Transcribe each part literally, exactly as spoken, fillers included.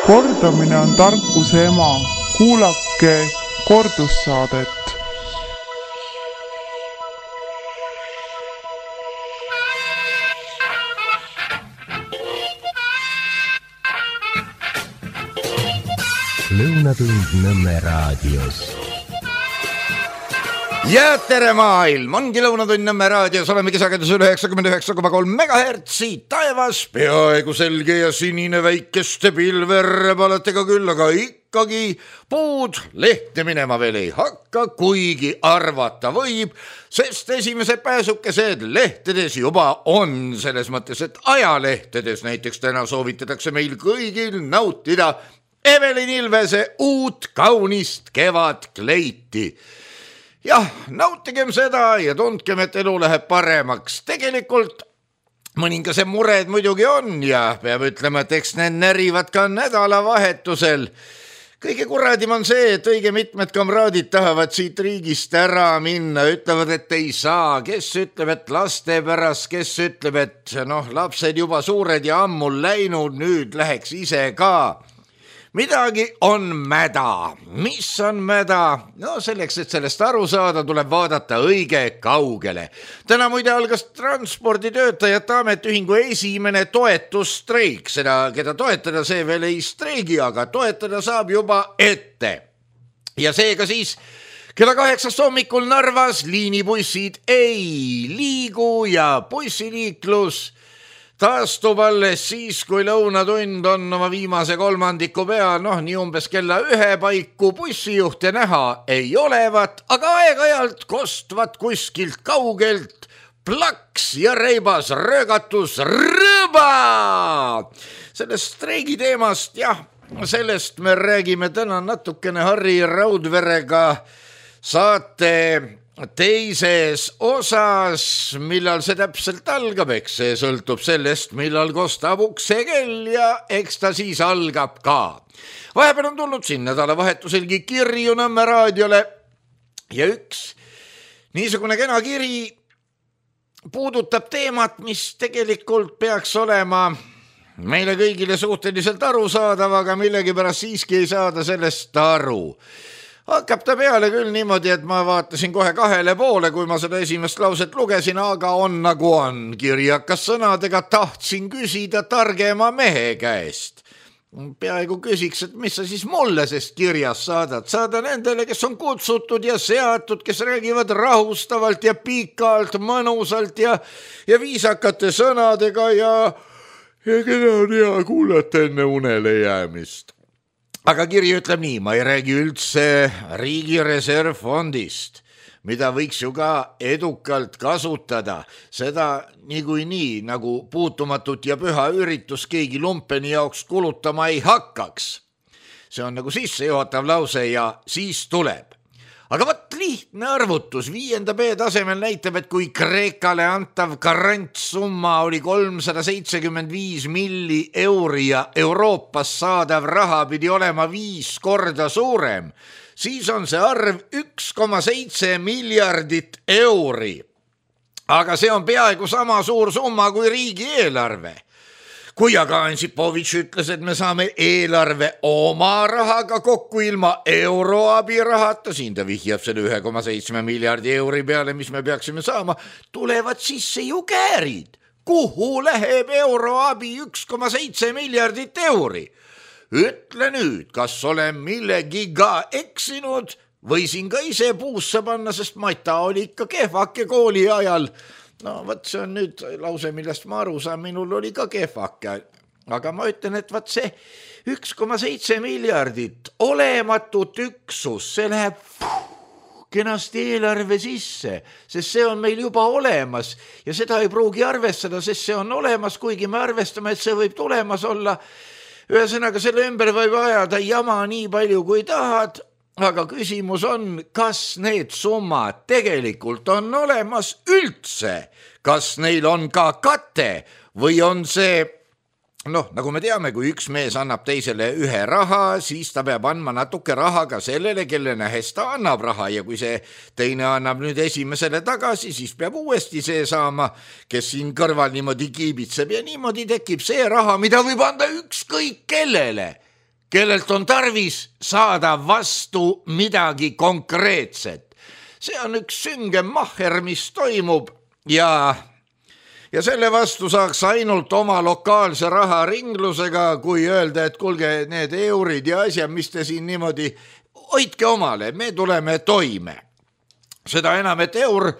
Kordamine on tarkuse ema. Kuulake kordussaadet. Lõunatund Nõmme raadios. Ja tere maailm, ongi Lõunatund Nõmme raadios, oleme kisagedus üle üheksakümmend üheksa koma kolm megahertsi, taevas peaaegu selge ja sinine väikeste pilver palatega küll, aga ikkagi puud lehte minema veel ei hakka, kuigi arvata võib, sest esimesed pääsukesed lehtedes juba on, selles mõttes, et ajalehtedes näiteks täna soovitatakse meil kõigil nautida Evelin Ilvese uut kaunist kevadkleiti. Jah, nautigem seda ja tundkem, et elu läheb paremaks. Tegelikult mõningase mured muidugi on ja peab ütlema, et eks need närivad ka nädalavahetusel. Kõige kuradim on see, et õige mitmed kamraadid tahavad siit riigist ära minna, ütlevad, et ei saa. Kes ütleb, et laste pärast, kes ütleb, et noh, lapsed juba suured ja ammul läinud, nüüd läheks ise ka. Midagi on mäda. Mis on mäda? No selleks, et sellest aru saada, tuleb vaadata õige kaugele. Täna muide algas transporditöötajate ametiühingu esimene toetusstreik. Seda, keda toetada, see veel ei streigi, aga toetada saab juba ette. Ja seega siis kella kaheksast hommikul Narvas liinibussid ei liigu ja bussiliiklus taastub alles siis, kui lõunatund on oma viimase kolmandiku peal, noh nii umbes kella ühe paiku bussijuhte näha ei olevat, aga aeg-ajalt kostvat kuskilt kaugelt plaks ja reibas röögatus rõõba. Sellest streigi teemast, jah, sellest me räägime täna natukene Harri Raudverega saate teises osas, millal see täpselt algab, eks see sõltub sellest, millal kostab uksekell ja eks ta siis algab ka. Vahepeal on tulnud siin nädalavahetuselgi kirju Nõmme raadiole ja üks niisugune kena kiri puudutab teemat, mis tegelikult peaks olema meile kõigile suhteliselt arusaadav, aga millegipärast siiski ei saada sellest aru. Hakkab ta peale küll niimoodi, et ma vaatasin kohe kahele poole, kui ma seda esimest lauset lugesin, aga on nagu on. Kirjakas sõnadega tahtsin küsida targema mehe käest. Peaaegu küsiks, et mis sa siis mulle sest kirjas saadad. Saada nendele, kes on kutsutud ja seatud, kes räägivad rahustavalt ja pikalt, mõnusalt ja, ja viisakate sõnadega ja, ja keda on hea kuulata enne unele jäämist. Aga kiri ütleb nii, ma ei räägi üldse riigi reservfondist, mida võiks ju ka edukalt kasutada. Seda niikuinii nii, nagu puutumatut ja püha üritus keegi lumpeni jaoks kulutama ei hakkaks. See on nagu sissejuhatav lause ja siis tuleb. Aga võt lihtne arvutus viienda B tasemel näitab, et kui Kreekale antav garantsumma oli kolmsada seitsekümmend viis milli euri ja Euroopas saadav raha pidi olema viis korda suurem, siis on see arv üks koma seitse miljardit euri. Aga see on peaaegu sama suur summa kui riigieelarve. Kui aga Ansipovitš ütles, et me saame eelarve oma rahaga kokku ilma euroabi rahata, siin ta vihjab selle üks koma seitse miljardi euri peale, mis me peaksime saama, tulevad sisse ju käärid. Kuhu läheb euroabi üks koma seitse miljardit euri? Ütle nüüd, kas olen millegiga eksinud või siin ka ise puusse panna, sest Mata oli ikka kehvake kooli ajal. No võt see on nüüd lause, millest ma aru saan, minul oli ka kehvake, aga ma ütlen, et võt see üks koma seitse miljardit olematut üksus, see läheb puh, kenasti eelarve sisse, sest see on meil juba olemas ja seda ei pruugi arvestada, sest see on olemas, kuigi me arvestame, et see võib tulemas olla. Ühesõnaga selle ümber võib ajada jama nii palju kui tahad, aga küsimus on, kas need summad tegelikult on olemas üldse, kas neil on ka kate või on see, noh, nagu me teame, kui üks mees annab teisele ühe raha, siis ta peab andma natuke raha ka sellele, kelle nähes ta annab raha ja kui see teine annab nüüd esimesele tagasi, siis peab uuesti see saama, kes siin kõrval niimoodi kiibitseb ja niimoodi tekib see raha, mida võib anda ükskõik kellele. kellelt on tarvis saada vastu midagi konkreetset. See on üks sünge mahher, mis toimub ja, ja selle vastu saaks ainult oma lokaalse raharinglusega, kui öelda, et kulge need eurid ja asjad, mis te siin niimoodi hoidke omale, me tuleme toime. Seda enam, et eur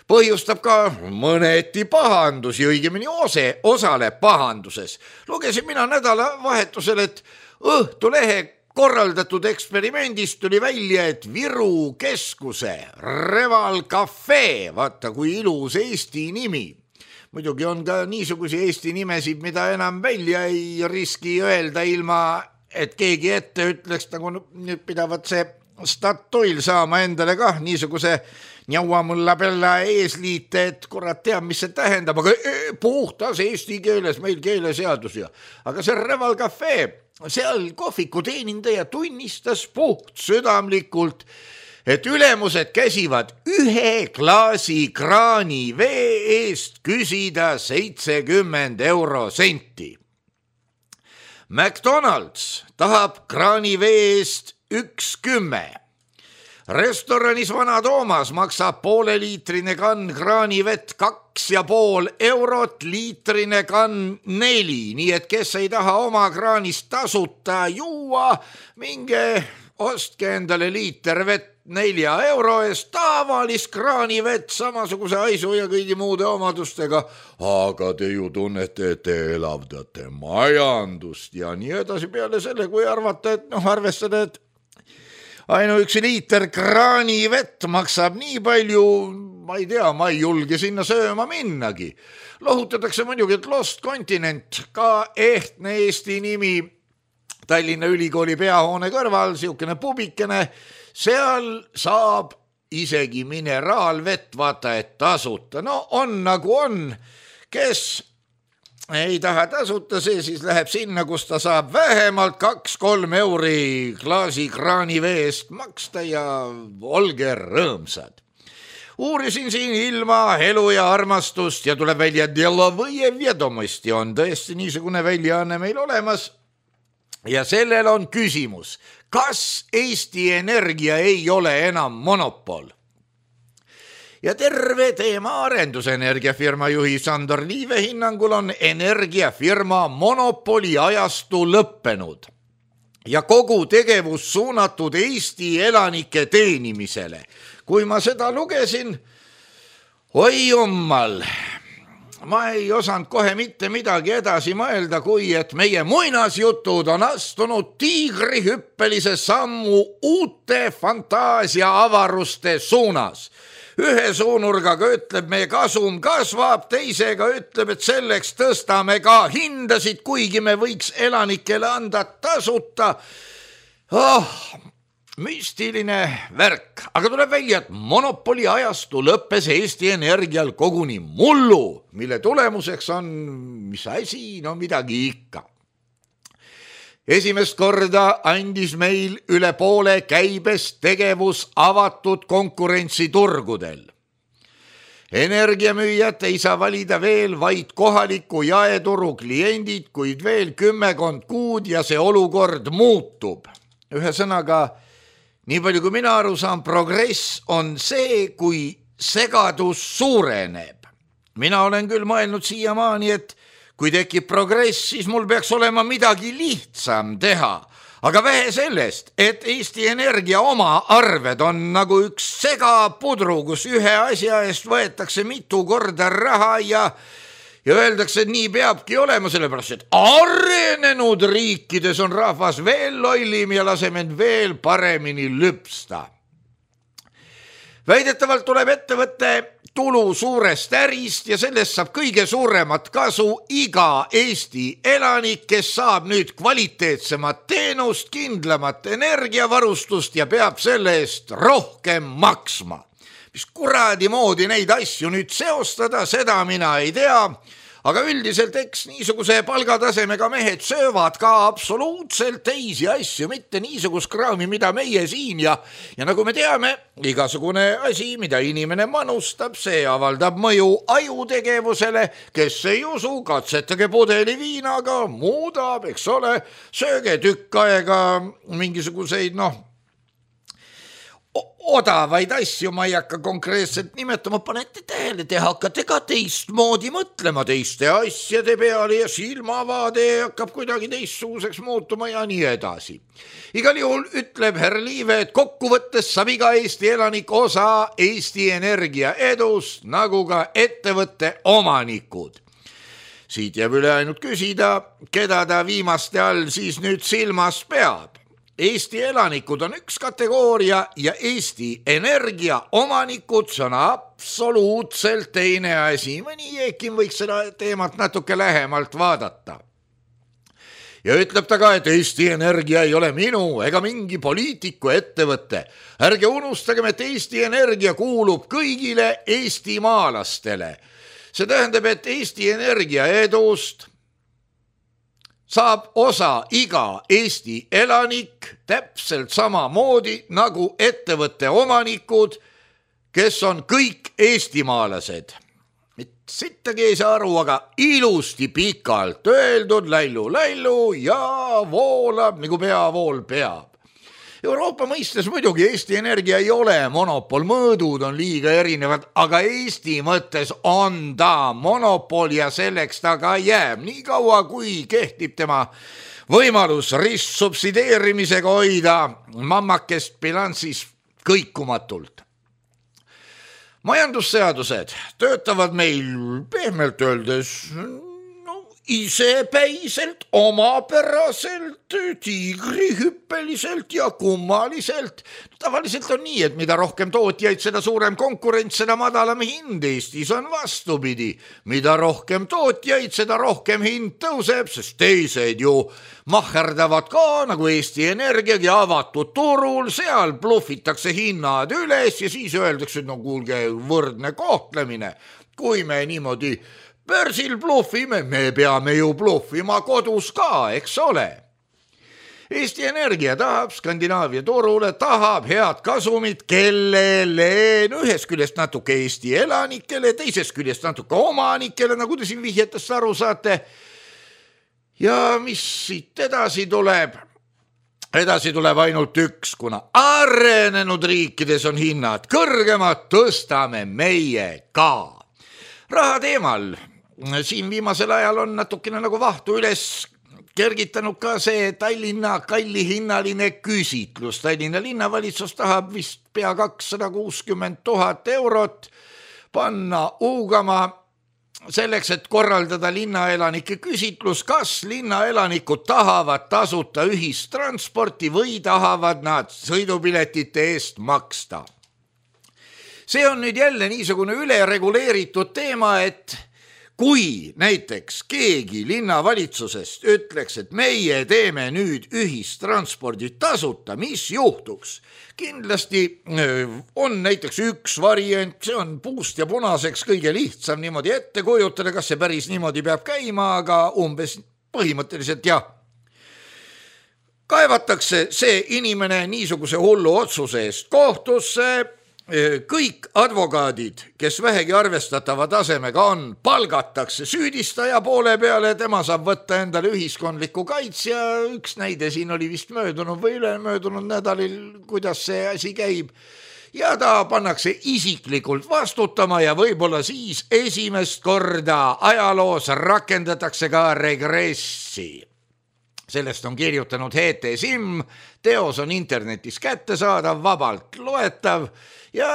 põhjustab ka mõneti pahandusi, õigemini ose, osale pahanduses. Lugesin mina nädalavahetusel, et Õhtulehe korraldatud eksperimendist tuli välja, et Viru keskuse Reval Cafe, vaata kui ilus Eesti nimi. Muidugi on ka niisugusi Eesti nimesid, mida enam välja ei riski öelda ilma, et keegi ette ütleks, nagu nüüd pidavat see Statoil saama endale kah niisuguse njauamulla pella eesliite, et kurat teab, mis see tähendab, aga puhtas eesti keeles meil keeleseadus ja. Aga see Reval Cafe, seal kohviku teenindaja tunnistas puht südamlikult, et ülemused käsivad ühe klaasi kraani vee eest küsida seitsekümmend euro senti. McDonald's tahab kraani vee eest üks kümme. Restoranis Vana Toomas maksab pooleliitrine kann kraanivett kaks ja pool eurot, liitrine kann neli, nii et kes ei taha oma kraanist tasuta juua, minge ostke endale liiter vett nelja euro eest, tavalist kraanivett samasuguse aisu ja kõigi muude omadustega, aga te ju tunnete, et te elavdate majandust ja nii edasi peale selle, kui arvata, et noh, arvestada, et ainuüksi liiter kraanivett maksab nii palju, ma ei tea, ma ei julge sinna sööma minnagi. Lohutatakse muidugi, et Lost Continent, ka ehtne Eesti nimi Tallinna Ülikooli peahoone kõrval, siukene pubikene, seal saab isegi mineraalvett, vaata, et tasuta. No on nagu on, kes ei taha tasuta, see siis läheb sinna, kus ta saab vähemalt kaks-kolm euri klaasi kraani veest maksta ja olge rõõmsad. Uurisin siin ilma, elu ja armastust ja tuleb välja, et Delovõje Vjedomosti on tõesti niisugune väljaanne meil olemas ja sellel on küsimus, kas Eesti Energia ei ole enam monopol? Ja terve teema arendusenergiafirma juhi Sandor Liive hinnangul on energiafirma monopoli ajastu lõppenud ja kogu tegevus suunatud Eesti elanike teenimisele. Kui ma seda lugesin, oi jummal, ma ei osanud kohe mitte midagi edasi mõelda, kui et meie muinasjutud on astunud tiigrihüppelise sammu uute fantaasia avaruste suunas. Ühe suunurgaga ütleb, meie kasum kasvab, teisega ütleb, et selleks tõstame ka hindasid, kuigi me võiks elanikele anda tasuta. Oh, müstiline värk, aga tuleb välja, et monopoli ajastu lõppes Eesti Energial koguni mullu, mille tulemuseks on, mis asi, no midagi ikka. Esimest korda andis meil üle poole käibest tegevus avatud konkurentsiturgudel. Energiamüüjad ei saa valida veel vaid kohaliku jaeturu kliendid, kuid veel kümmekond kuud ja see olukord muutub. Ühesõnaga, nii palju kui mina aru saan, progress on see, kui segadus suureneb. Mina olen küll mõelnud siiamaani, et kui tekib progress, siis mul peaks olema midagi lihtsam teha. Aga vähe sellest, et Eesti Energia oma arved on nagu üks segapudru, kus ühe asja eest võetakse mitu korda raha ja, ja öeldakse, et nii peabki olema, sellepärast, et arenenud riikides on rahvas veel lollim ja laseme end veel paremini lüpsta. Väidetavalt tuleb ettevõtte tulu suurest ärist ja sellest saab kõige suuremat kasu iga Eesti elanik, kes saab nüüd kvaliteetsemat teenust, kindlamat energiavarustust ja peab selle eest rohkem maksma. Mis kuradi moodi neid asju nüüd seostada, seda mina ei tea, aga üldiselt eks niisuguse palgatasemega mehed söövad ka absoluutselt teisi asju, mitte niisugust kraami, mida meie siin ja, ja nagu me teame, igasugune asi, mida inimene manustab, see avaldab mõju ajutegevusele, kes ei usu, katsetage pudeli viinaga, muudab, eks ole, sööge tükk aega mingisuguseid, noh, odavaid asju, ma ei hakka konkreetselt nimetama, panete tähele, te hakkate ka teistmoodi mõtlema teiste asjade peale ja silmavaade hakkab kuidagi teistsuguseks muutuma ja nii edasi. Igal juhul ütleb härra Liive, et kokkuvõttes saab iga Eesti elanik osa Eesti Energia edust, nagu ka ettevõtte omanikud. Siit jääb üle ainult küsida, keda ta viimaste all siis nüüd silmas peab. Eesti elanikud on üks kategooria ja Eesti Energia omanikud, see on absoluutselt teine asi. Mõni Jeekin võiks seda teemat natuke lähemalt vaadata. Ja ütleb ta ka, et Eesti Energia ei ole minu ega mingi poliitiku ettevõte. Ärge unustagem, et Eesti Energia kuulub kõigile eestimaalastele. See tähendab, et Eesti Energia edust saab osa iga Eesti elanik täpselt samamoodi nagu ettevõtte omanikud, kes on kõik eestimaalased. Sittagi ei saa aru, aga ilusti pikalt öeldud lällu-lällu ja voolab nagu peavool peab. Euroopa mõistes muidugi Eesti Energia ei ole monopol, mõõdud on liiga erinevad, aga Eesti mõttes on ta monopol ja selleks ta ka jääb. Nii kaua, kui kehtib tema võimalus ristsubsideerimisega hoida mammakest bilanssis kõikumatult. Majandusseadused töötavad meil pehmelt öeldes isepäiselt, omapäraselt, tiigrihüppeliselt ja kummaliselt. Tavaliselt on nii, et mida rohkem tootjaid, seda suurem konkurents, seda madalam hind. Eestis on vastupidi. Mida rohkem tootjaid, seda rohkem hind tõuseb, sest teised ju maherdavad ka, nagu Eesti Energiagi avatud turul, seal bluffitakse hinnad üles ja siis öeldakse, et no kuulge, võrdne kohtlemine. Kui me niimoodi börsil bluffime, me peame ju bluffima kodus ka, eks ole. Eesti Energia tahab Skandinaavia turule, tahab head kasumit, kellele ühest küljest natuke Eesti elanikele, teisest küljest natuke omanikele, nagu te siin vihjetest aru saate. Ja mis siit edasi tuleb? Edasi tuleb ainult üks, kuna arenenud riikides on hinnad kõrgemad, tõstame meie ka. Raha teemal. Siin viimasel ajal on natukene nagu vahtu üles kergitanud ka see Tallinna kallihinnaline küsitlus. Tallinna linnavalitsus tahab vist pea kakssada kuuskümmend tuhat eurot panna uugama selleks, et korraldada linnaelanike küsitlus, kas linnaelanikud tahavad tasuta ühistransporti või tahavad nad sõidupiletite eest maksta. See on nüüd jälle niisugune ülereguleeritud teema, et kui näiteks keegi linnavalitsusest ütleks, et meie teeme nüüd ühistranspordi tasuta, mis juhtuks? Kindlasti on näiteks üks variant, see on puust ja punaseks kõige lihtsam niimoodi ette kujutada, kas see päris niimoodi peab käima, aga umbes põhimõtteliselt jah. Kaevatakse see inimene niisuguse hullu otsuse eest kohtusse, kõik advokaadid, kes vähegi arvestatava tasemega on, palgatakse süüdistaja poole peale, tema saab võtta endale ühiskondliku kaitsja, üks näide siin oli vist möödunud või ülemöödunud nädalil, kuidas see asi käib, ja ta pannakse isiklikult vastutama ja võib-olla siis esimest korda ajaloos rakendatakse ka regressi. Sellest on kirjutanud H T Sim, teos on internetis kättesaadav, vabalt loetav ja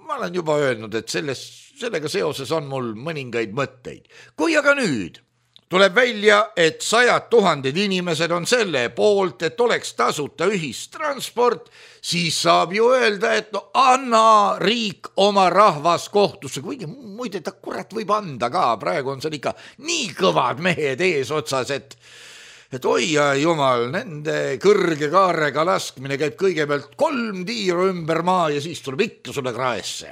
ma olen juba öelnud, et selles, sellega seoses on mul mõningaid mõtteid. Kui aga nüüd tuleb välja, et sajad tuhanded inimesed on selle poolt, et oleks tasuta ühistransport, siis saab ju öelda, et no anna riik oma rahvas kohtusse, kuigi muide ta kurat võib anda ka, praegu on seal ikka nii kõvad mehed ees otsas, et et oi ja jumal, nende kõrge kaarega laskmine käib kõigepealt kolm tiiru ümber maa ja siis tuleb ikka sulle kraesse.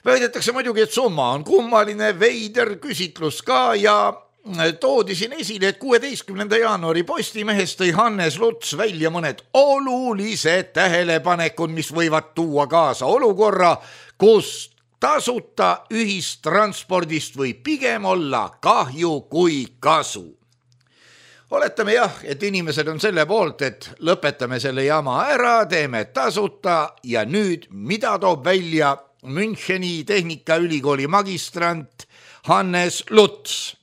Väidetakse muidugi, et summa on kummaline, veider küsitlus ka ja toodi siin esile, et kuueteistkümnenda jaanuari Postimehes tõi Hannes Luts välja mõned olulised tähelepanekud, mis võivad tuua kaasa olukorra, kus tasuta ühistranspordist võib pigem olla kahju kui kasu. Oletame jah, et inimesed on selle poolt, et lõpetame selle jama ära, teeme tasuta ja nüüd mida toob välja Müncheni Tehnikaülikooli magistrant Hannes Luts.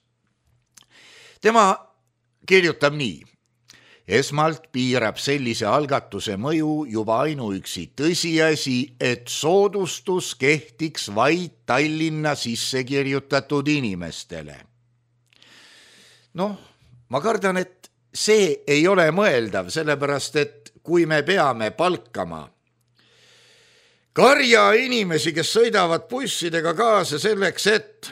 Tema kirjutab nii. Esmalt piirab sellise algatuse mõju juba ainuüksi tõsiasi, et soodustus kehtiks vaid Tallinna sisse kirjutatud inimestele. Noh, ma kardan, et see ei ole mõeldav, sellepärast et kui me peame palkama karja inimesi, kes sõidavad bussidega kaasa selleks, et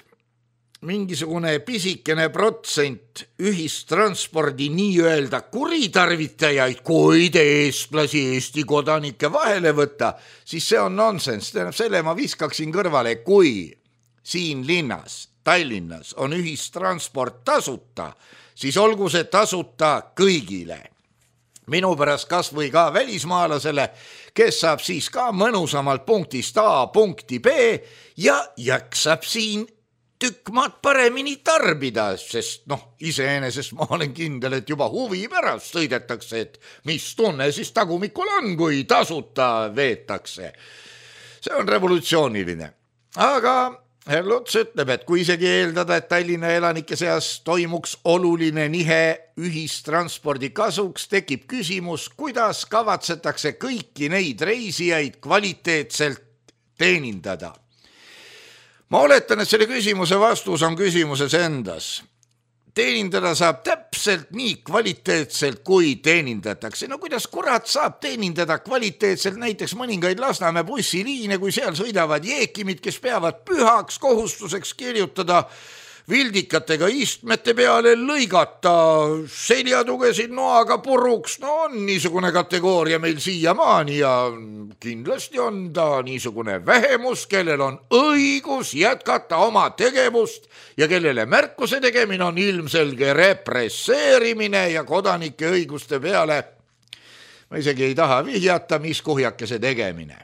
mingisugune pisikene protsent ühistranspordi nii-öelda kuritarvitajaid, kuid eestlasi Eesti kodanike vahele võtta, siis see on nonsense. Tähendab, selle ma viskaksin kõrvale, kui siin linnas, Tallinnas on ühistransport tasuta, siis olgu see tasuta kõigile. Minu pärast kas või ka välismaalasele, kes saab siis ka mõnusamalt punktist A punkti B ja jaksab siin tükk maad paremini tarbida, sest noh, iseenesest ma olen kindel, et juba huvi pärast sõidetakse, et mis tunne siis tagumikul on, kui tasuta veetakse. See on revolutsiooniline. Aga Luts ütleb, et kui isegi eeldada, et Tallinna elanike seas toimuks oluline nihe ühistranspordi kasuks, tekib küsimus, kuidas kavatsetakse kõiki neid reisijaid kvaliteetselt teenindada. Ma oletan, et selle küsimuse vastus on küsimuses endas. Teenindada saab täpselt nii kvaliteetselt, kui teenindatakse. No kuidas kurat saab teenindada kvaliteetselt näiteks mõningaid Lasnamäe bussiliine, kui seal sõidavad jeekimid, kes peavad pühaks kohustuseks kirjutada vildikatega istmete peale, lõigata seljatugesid noaga puruks. No on niisugune kategooria meil siiamaani ja kindlasti on ta niisugune vähemus, kellel on õigus jätkata oma tegevust ja kellele märkuse tegemine on ilmselge represseerimine ja kodanike õiguste peale. Ma isegi ei taha vihjata, mis kuhjakese tegemine.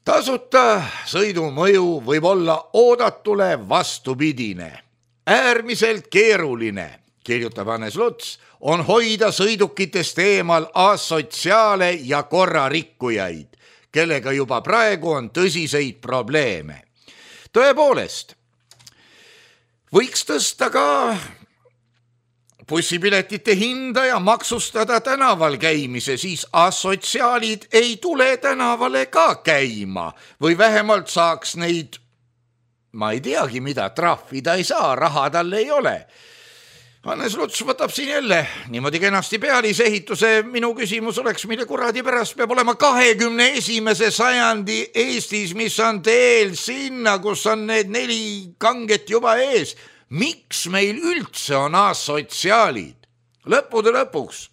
Tasuta sõidu mõju võib olla oodatule vastupidine. Äärmiselt keeruline, kirjutab Hannes Luts, on hoida sõidukitest eemal asotsiaale ja korrarikkujaid, kellega juba praegu on tõsiseid probleeme. Tõepoolest, võiks tõsta ka bussipiletite hinda ja maksustada tänaval käimise, siis asotsiaalid ei tule tänavale ka käima või vähemalt saaks neid, ma ei teagi mida, trahvida ei saa, raha tal ei ole. Hannes Luts võtab siin jälle niimoodi kenasti pealisehituse. Minu küsimus oleks, mille kuradi pärast peab olema kahekümne esimese sajandi Eestis, mis on teel sinna, kus on need neli kanget juba ees. Miks meil üldse on asotsiaalid? Lõppude lõpuks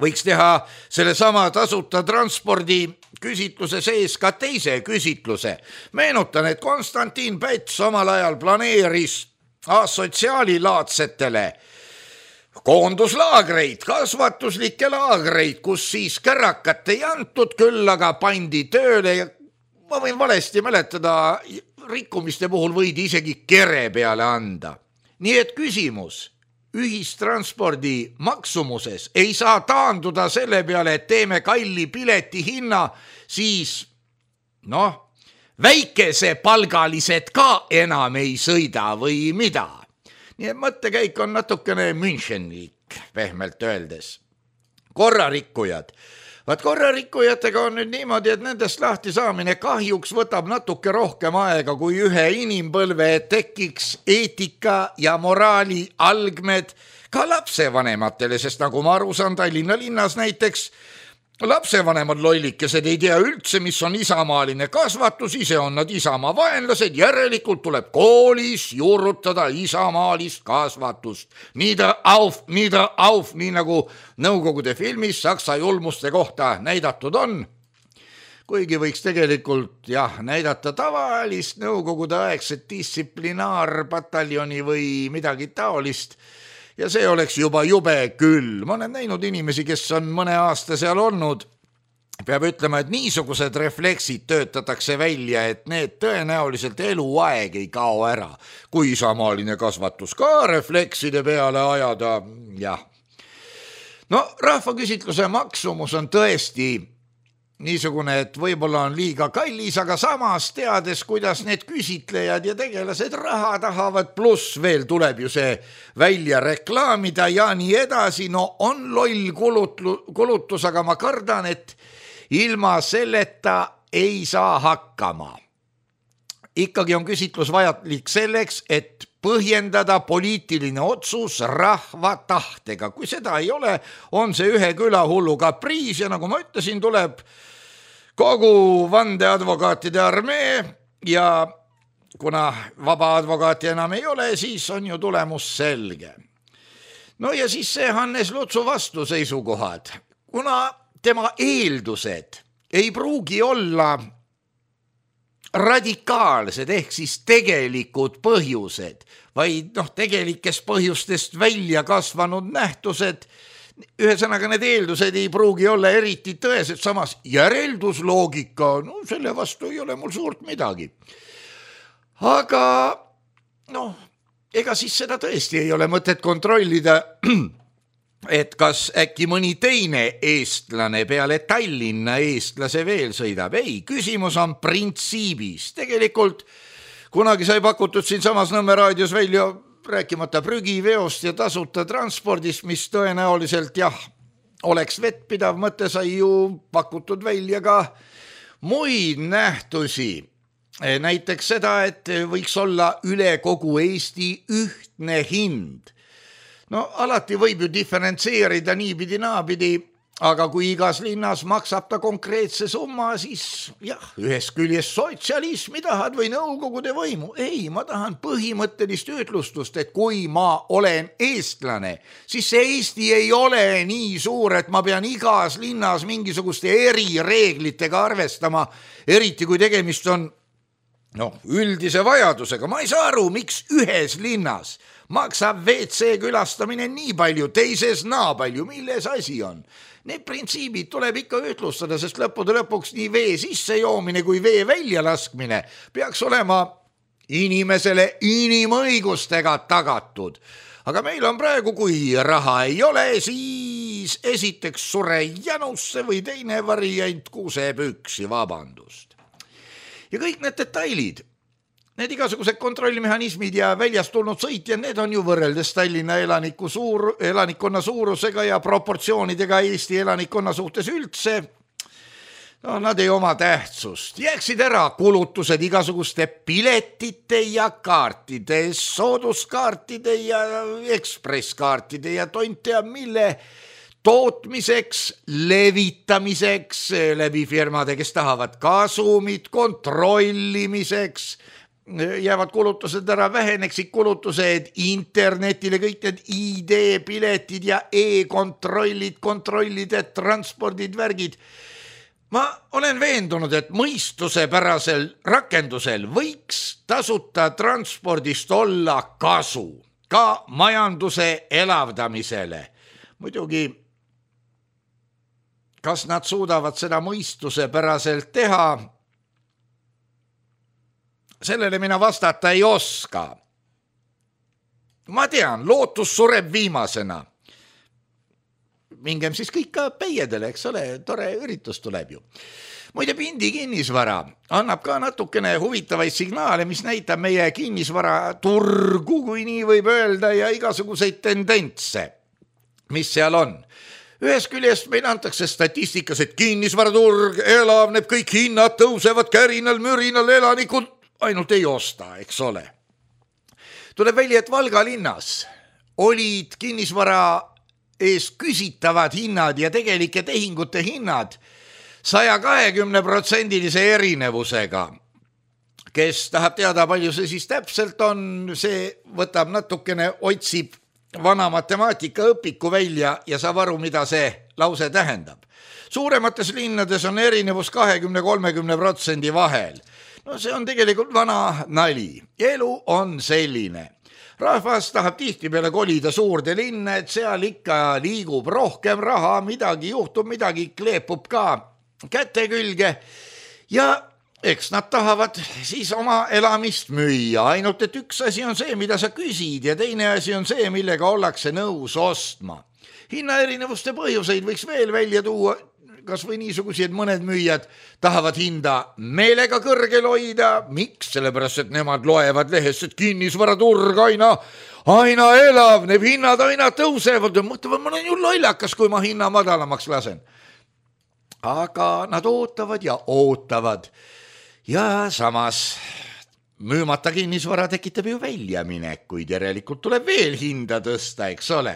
võiks teha selle sama tasuta transpordi küsitluse sees ka teise küsitluse. Meenutan, et Konstantin Päts omal ajal planeeris asotsiaalilaadsetele koonduslaagreid, kasvatuslikke laagreid, kus siis kärakat ei antud, küll aga pandi tööle ja ma võin valesti mäletada, rikkumiste puhul võidi isegi kere peale anda. Nii et küsimus ühistranspordi maksumuses ei saa taanduda selle peale, et teeme kalli pileti hinna, siis noh, väikesepalgalised ka enam ei sõida või mida. Nii et mõttekäik on natukene Münchenlik, pehmelt öeldes. Korrarikkujad. Vaat korrarikkujatega on nüüd niimoodi, et nendest lahti saamine kahjuks võtab natuke rohkem aega kui ühe inimpõlve, et tekiks eetika ja moraali algmed ka lapsevanematele, sest nagu ma aru saan, Tallinna linnas näiteks lapsevanemad lollikesed ei tea üldse, mis on isamaaline kasvatus, ise on nad isamaa vaenlased, järelikult tuleb koolis juurutada isamaalist kasvatust. Nieder auf, nieder auf, nii nagu Nõukogude filmis Saksa julmuste kohta näidatud on. kuigi võiks tegelikult jah, näidata tavalist nõukogude aegset distsiplinaarpataljoni või midagi taolist ja see oleks juba jube küll. Ma olen näinud inimesi, kes on mõne aasta seal olnud. Peab ütlema, et niisugused refleksid töötatakse välja, et need tõenäoliselt eluaeg ei kao ära. Kui samaaline kasvatus ka reflekside peale ajada, jah. No rahvaküsitluse maksumus on tõesti niisugune, et võib-olla on liiga kallis, aga samas teades, kuidas need küsitlejad ja tegelased raha tahavad, pluss veel tuleb ju see välja reklaamida ja nii edasi. No on loll kulutus, aga ma kardan, et ilma selleta ei saa hakkama. Ikkagi on küsitlus vajalik selleks, et põhjendada poliitiline otsus rahva tahtega. Kui seda ei ole, on see ühe külahullu kapriis ja nagu ma ütlesin, tuleb kogu vandeadvokaatide armee ja kuna vaba advokaati enam ei ole, siis on ju tulemus selge. No ja siis see Hannes Lutsu vastuseisukohad. Kuna tema eeldused ei pruugi olla radikaalsed ehk siis tegelikud põhjused, vaid noh, tegelikest põhjustest välja kasvanud nähtused, ühesõnaga need eeldused ei pruugi olla eriti tõesed, samas järeldusloogika, no selle vastu ei ole mul suurt midagi. Aga noh, ega siis seda tõesti ei ole mõtet kontrollida, et kas äkki mõni teine eestlane peale Tallinna eestlase veel sõidab. Ei, küsimus on printsiibis. Tegelikult kunagi sai pakutud siin samas Nõmme raadios välja rääkimata prügiveost ja tasuta transpordist, mis tõenäoliselt jah, oleks vettpidav mõte, sai ju pakutud välja ka muid nähtusi. Näiteks seda, et võiks olla üle kogu Eesti ühtne hind. No alati võib ju diferentseerida niipidi naapidi, aga kui igas linnas maksab ta konkreetse summa, siis jah, ühest küljest sotsialismi tahad või nõukogude võimu. Ei, ma tahan põhimõttelist ütlustust, et kui ma olen eestlane, siis see Eesti ei ole nii suur, et ma pean igas linnas mingisuguste erireeglitega arvestama, eriti kui tegemist on no, üldise vajadusega. Ma ei saa aru, miks ühes linnas maksab V C külastamine nii palju, teises naa palju, milles asi on. Need printsiibid tuleb ikka ütlustada, sest lõppude lõpuks nii vee sisse joomine kui vee välja laskmine peaks olema inimesele inimõigustega tagatud. Aga meil on praegu, kui raha ei ole, siis esiteks sure janusse või teine variant kuseb üksi, vabandust. Ja kõik need detailid, need igasugused kontrollimehhanismid ja väljast tulnud sõitjad, need on ju võrreldes Tallinna elaniku suur, elanikkonna suurusega ja proportsioonidega Eesti elanikkonna suhtes üldse. No nad ei oma tähtsust. Jääksid ära kulutused igasuguste piletite ja kaartide, sooduskaartide ja ekspresskaartide ja tont teab mille tootmiseks, levitamiseks läbi firmade, kes tahavad kasumit, kontrollimiseks, jäävad kulutused ära, väheneksid kulutused internetile, kõik need I D-piletid ja e-kontrollid, kontrollid, transpordid, värgid. Ma olen veendunud, et mõistusepärasel rakendusel võiks tasuta transpordist olla kasu ka majanduse elavdamisele. Muidugi, kas nad suudavad seda mõistusepäraselt teha? Sellele mina vastata ei oska. Ma tean, lootus sureb viimasena. Mingem siis kõik ka peiedele, eks ole, tore üritus tuleb ju. Muide, Pindi kinnisvara annab ka natukene huvitavaid signaale, mis näitab meie kinnisvara turgu, kui nii võib öelda, ja igasuguseid tendentse, mis seal on. Ühest küljest meil antakse statistikas, et kinnisvaraturg elavneb, kõik hinnad tõusevad kärinal, mürinal, elanikud ainult ei osta, eks ole. Tuleb välja, et Valga linnas olid kinnisvara eest küsitavad hinnad ja tegelike tehingute hinnad saja kahekümne protsendilise erinevusega. Kes tahab teada, palju see siis täpselt on, see võtab natukene, otsib vana matemaatika õpiku välja ja saab aru, mida see lause tähendab. Suuremates linnades on erinevus kahekümne kolmekümne protsendi vahel. No see on tegelikult vana nali. Elu on selline. Rahvas tahab tihtipeale kolida suurde linna, et seal ikka liigub rohkem raha, midagi juhtub, midagi kleepub ka käte külge ja eks nad tahavad siis oma elamist müüa, ainult et üks asi on see, mida sa küsid ja teine asi on see, millega ollakse nõus ostma. Hinnaerinevuste põhjuseid võiks veel välja tuua, kas või niisugusi, et mõned müüjad tahavad hinda meelega kõrgel hoida. Miks? Sellepärast, et nemad loevad lehest, et kinnisvaraturg aina, aina elavneb, hinnad aina tõusevad. Mõtlevad, ma olen ju lollakas, kui ma hinna madalamaks lasen. Aga nad ootavad ja ootavad. Ja samas müümata kinnisvara tekitab ju väljaminekuid, järelikult tuleb veel hinda tõsta, eks ole.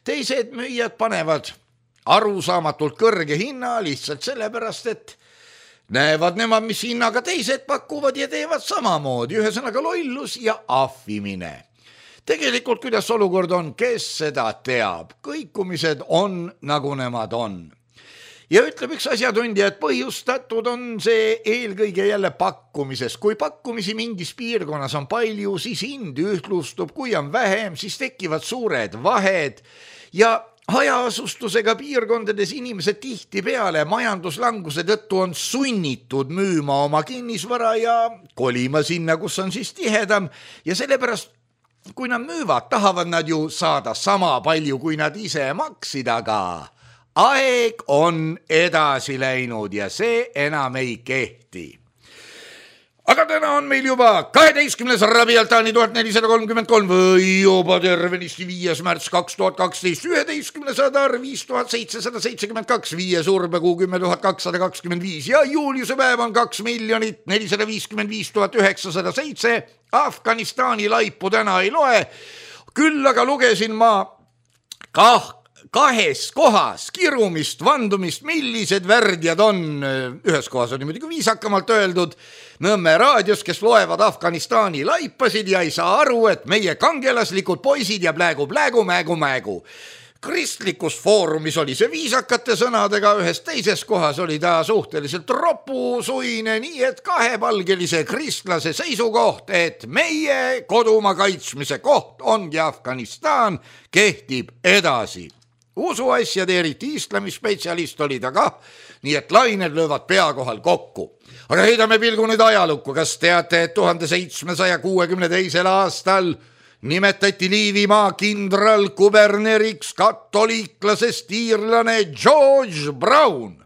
Teised müüjad panevad arusaamatult kõrge hinna lihtsalt sellepärast, et näevad nemad, mis hinnaga teised pakuvad ja teevad samamoodi, ühesõnaga lollus ja ahvimine. Tegelikult, kuidas olukord on, kes seda teab, kõikumised on nagu nemad on. Ja ütleb üks asjatundja, et põhjustatud on see eelkõige jälle pakkumises. Kui pakkumisi mingis piirkonnas on palju, siis hind ühtlustub, kui on vähem, siis tekivad suured vahed ja hajaasustusega piirkondades inimesed tihti peale majanduslanguse tõttu on sunnitud müüma oma kinnisvara ja kolima sinna, kus on siis tihedam ja sellepärast, kui nad müüvad, tahavad nad ju saada sama palju, kui nad ise maksid, aga aeg on edasi läinud ja see enam ei kehti. Aga täna on meil juba kaheteistkümnes Rabialtani tuhat nelisada kolmkümmend kolm või juba tervenisti viies märts kaks tuhat kaksteist, üheteistkümnes Adar viis tuhat seitsesada seitsekümmend kaks, viies Urbekuu kümme tuhat kakssada kakskümmend viis ja juuliuse päev on kaks miljonit nelisada viiskümmend viis tuhat üheksasada seitse. Afganistani laipu täna ei loe, küll aga lugesin ma kah kahes kohas kirumist, vandumist, millised värdjad on. Ühes kohas oli muidugi viisakamalt öeldud Nõmme raadios, kes loevad Afganistani laipasid ja ei saa aru, et meie kangelaslikud poisid ja plägu, plägu, mägu, mägu. Kristlikus foorumis oli see viisakate sõnadega, ühes teises kohas oli ta suhteliselt ropusuine, nii et kahepalgelise kristlase seisukoht, et meie kodumaa kaitsmise koht ongi Afganistan, kehtib edasi. Usuasjade eriti islami spetsialist oli ta kah, nii et lained löövad pea kohal kokku. Aga heidame pilgu nüüd ajalukku, kas teate, et tuhande seitsmesaja kuuekümne teisel aastal nimetati Liivimaa kindral kuberneriks katoliiklasest iirlane George Brown.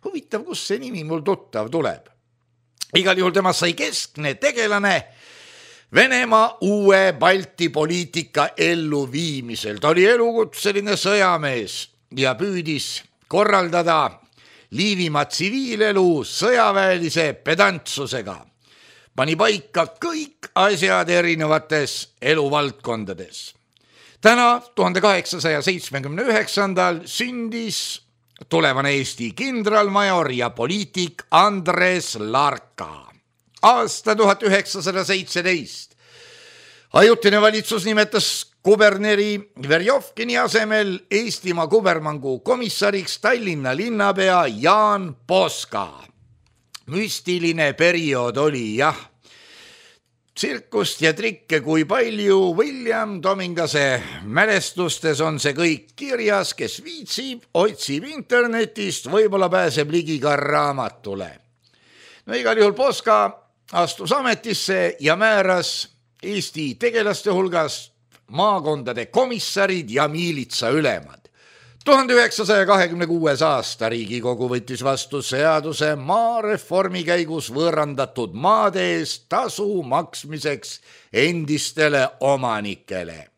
Huvitav, kus see nimi mul tuttav tuleb. Igal juhul temast sai keskne tegelane Venemaa uue Balti poliitika elluviimisel. Ta oli elukutseline sõjamees ja püüdis korraldada Liivimaa tsiviilelu sõjaväelise pedantsusega. Pani paika kõik asjad erinevates eluvaldkondades. Täna tuhande kaheksasaja seitsmekümne üheksandal sündis tulevane Eesti kindralmajor ja poliitik Andres Larka. Aasta tuhat üheksasada seitseteist. Ajutine valitsus nimetas kuberneri Verjovkini asemel Eestimaa kubermangu komissariks Tallinna linnapea Jaan Poska. Müstiline periood oli, jah. Tsirkust ja trikke kui palju, William Domingase mälestustes on see kõik kirjas, kes viitsib, otsib internetist, võib-olla pääseb ligi ka raamatule. No igal juhul Poska astus ametisse ja määras Eesti tegelaste hulgas maakondade komissarid ja miilitsa ülemad. tuhande üheksasaja kahekümne kuues aasta Riigikogu võttis vastu seaduse maareformi käigus võõrandatud maade eest tasu maksmiseks endistele omanikele.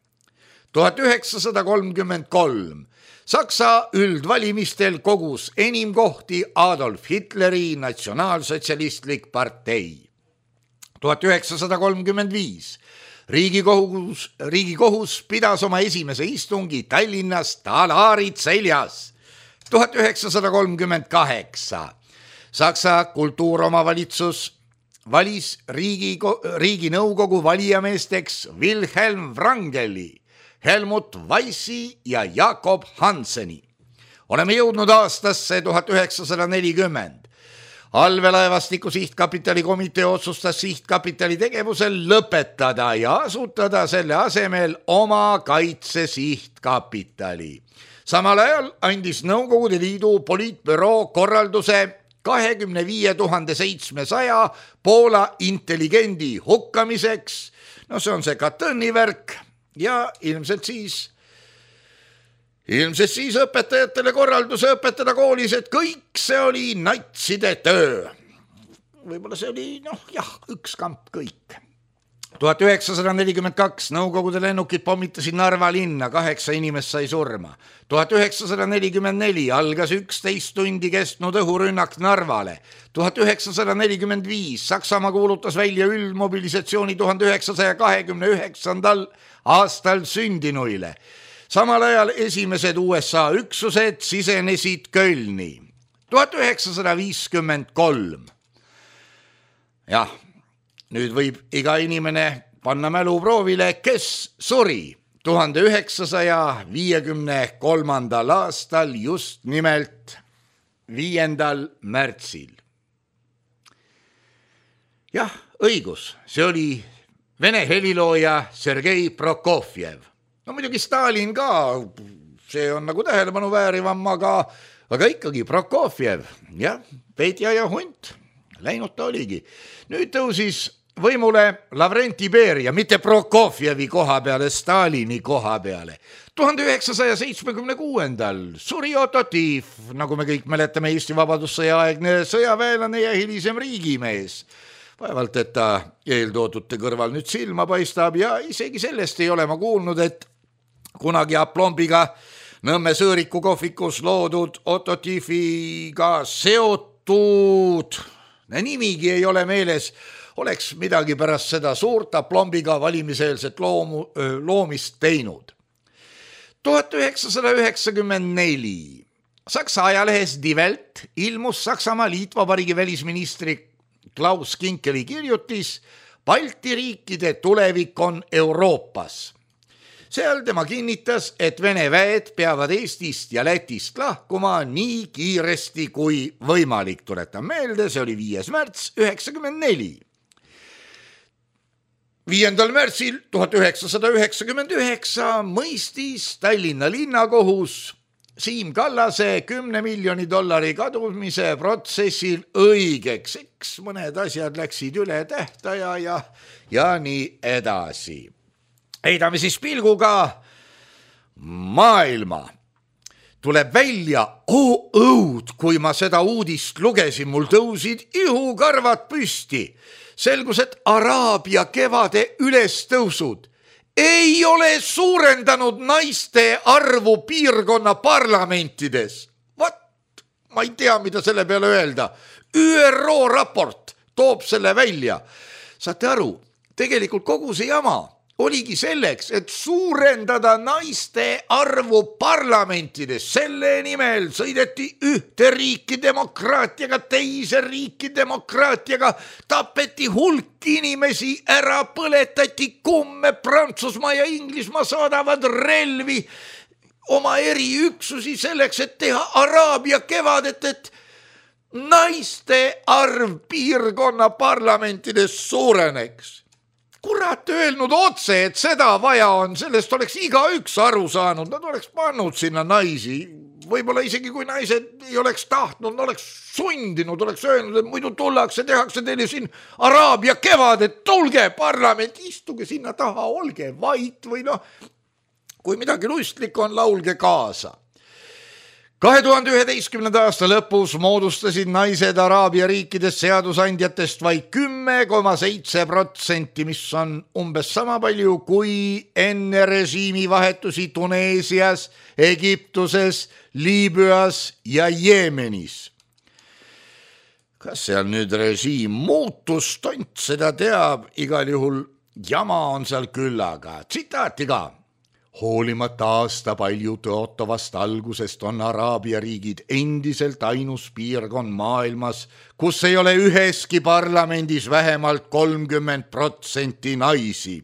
tuhat üheksasada kolmkümmend kolm Saksa üldvalimistel kogus enim kohti Adolf Hitleri natsionaalsotsialistlik partei. tuhat üheksasada kolmkümmend viis Riigikohus, Riigikohus pidas oma esimese istungi Tallinnas talaarid seljas. tuhat üheksasada kolmkümmend kaheksa Saksa kultuuromavalitsus valis riigi, riiginõukogu valijameesteks Wilhelm Wrangeli. Helmut Weissi ja Jakob Hanseni. Oleme jõudnud aastasse tuhat üheksasada nelikümmend. Allveelaevastiku sihtkapitali komitee otsustas sihtkapitali tegevusel lõpetada ja asutada selle asemel oma kaitse sihtkapitali. Samal ajal andis Nõukogude Liidu poliitbüroo korralduse kahekümne viie tuhande seitsmesaja Poola intelligendi hukkamiseks. No see on see Katyni värk ja ilmselt siis Ilmselt siis õpetajatele korralduse õpetada koolis, et kõik see oli natside töö. Võib-olla see oli, noh jah, üks kamp kõik. tuhat üheksasada nelikümmend kaks Nõukogude lennukid pommitasid Narva linna, kaheksa inimest sai surma. tuhat üheksasada nelikümmend neli algas üksteist tundi kestnud õhurünnak Narvale. tuhat üheksasada nelikümmend viis Saksamaa kuulutas välja üldmobilisatsiooni tuhande üheksasaja kahekümne üheksandal aastal sündinuile. Samal ajal esimesed U S A üksused sisenesid Kölni. tuhat üheksasada viiskümmend kolm. Jah, nüüd võib iga inimene panna mäluproovile, kes suri tuhande üheksasaja viiekümne kolmandal aastal just nimelt viiendal märtsil. Jah, õigus, see oli Vene helilooja Sergei Prokofjev. No muidugi Stalin ka, see on nagu tähelepanu väärivam, aga, aga ikkagi Prokofjev, jah, Petja ja hunt, läinud ta oligi. Nüüd tõusis võimule Lavrenti Beria, mitte Prokofjevi koha peale, Stalini koha peale. tuhande üheksasaja seitsmekümne kuuendal suri Otto Tief, nagu me kõik mäletame, Eesti vabadussõja aegne sõjaväelane ja hilisem riigimees. Vaevalt, et ta eeltoodute kõrval nüüd silma paistab ja isegi sellest ei ole ma kuulnud, et kunagi aplombiga Nõmme Sõõriku kohvikus loodud Otto Tiefiga seotud, nimigi ei ole meeles, oleks midagi pärast seda suurt aplombiga valimiseelset loomu, loomist teinud. tuhat üheksasada üheksakümmend neli Saksa ajalehes Die Welt ilmus Saksamaa Liitvabariigi välisministri Klaus Kinkeli kirjutis Balti riikide tulevik on Euroopas. Seal tema kinnitas, et Vene väed peavad Eestist ja Lätist lahkuma nii kiiresti kui võimalik. Tuletan meelde, see oli viies märts üheksakümmend neli. viiendal märtsil tuhat üheksasada üheksakümmend üheksa mõistis Tallinna linnakohus Siim Kallase kümne miljoni dollari kadumise protsessil õigeks. Eks mõned asjad läksid üle tähtaja ja, ja nii edasi. Heidame siis pilguga maailma. Tuleb välja, oo õud, kui ma seda uudist lugesin, mul tõusid ihukarvad püsti. Selgus, et Araabia kevade ülestõusud ei ole suurendanud naiste arvu piirkonna parlamentides. Vat, ma ei tea, mida selle peale öelda. Ü R O raport toob selle välja. Saate aru, tegelikult kogu see jama oligi selleks, et suurendada naiste arvu parlamentides. Selle nimel sõideti ühte riiki demokraatiaga, teise riiki demokraatiaga, tapeti hulk inimesi, ära põletati kumme, Prantsusmaa ja Inglismaa saadavad relvi, oma eriüksusi selleks, et teha Araabia kevadet, et naiste arv piirkonna parlamentides suureneks. Kurat öelnud otse, et seda vaja on, sellest oleks igaüks aru saanud, nad oleks pannud sinna naisi, võib-olla isegi kui naised ei oleks tahtnud, oleks sundinud, oleks öelnud, et muidu tullakse, tehakse teile siin Araabia kevadet, tulge parlament, istuge sinna taha, olge vait või noh, kui midagi lustlik on, laulge kaasa. kahe tuhande üheteistkümnenda aasta lõpus moodustasid naised Araabia riikides seadusandjatest vaid kümme koma seitse protsenti, mis on umbes sama palju kui enne režiimi vahetusi Tuneesias, Egiptuses, Liibüas ja Jeemenis. Kas seal nüüd režiim muutus, tont seda teab, igal juhul jama on seal küllaga. Tsitaati ka. Hoolimata aasta palju tõotavast algusest on Araabia riigid endiselt ainus piirkond maailmas, kus ei ole üheski parlamendis vähemalt kolmkümmend protsenti naisi.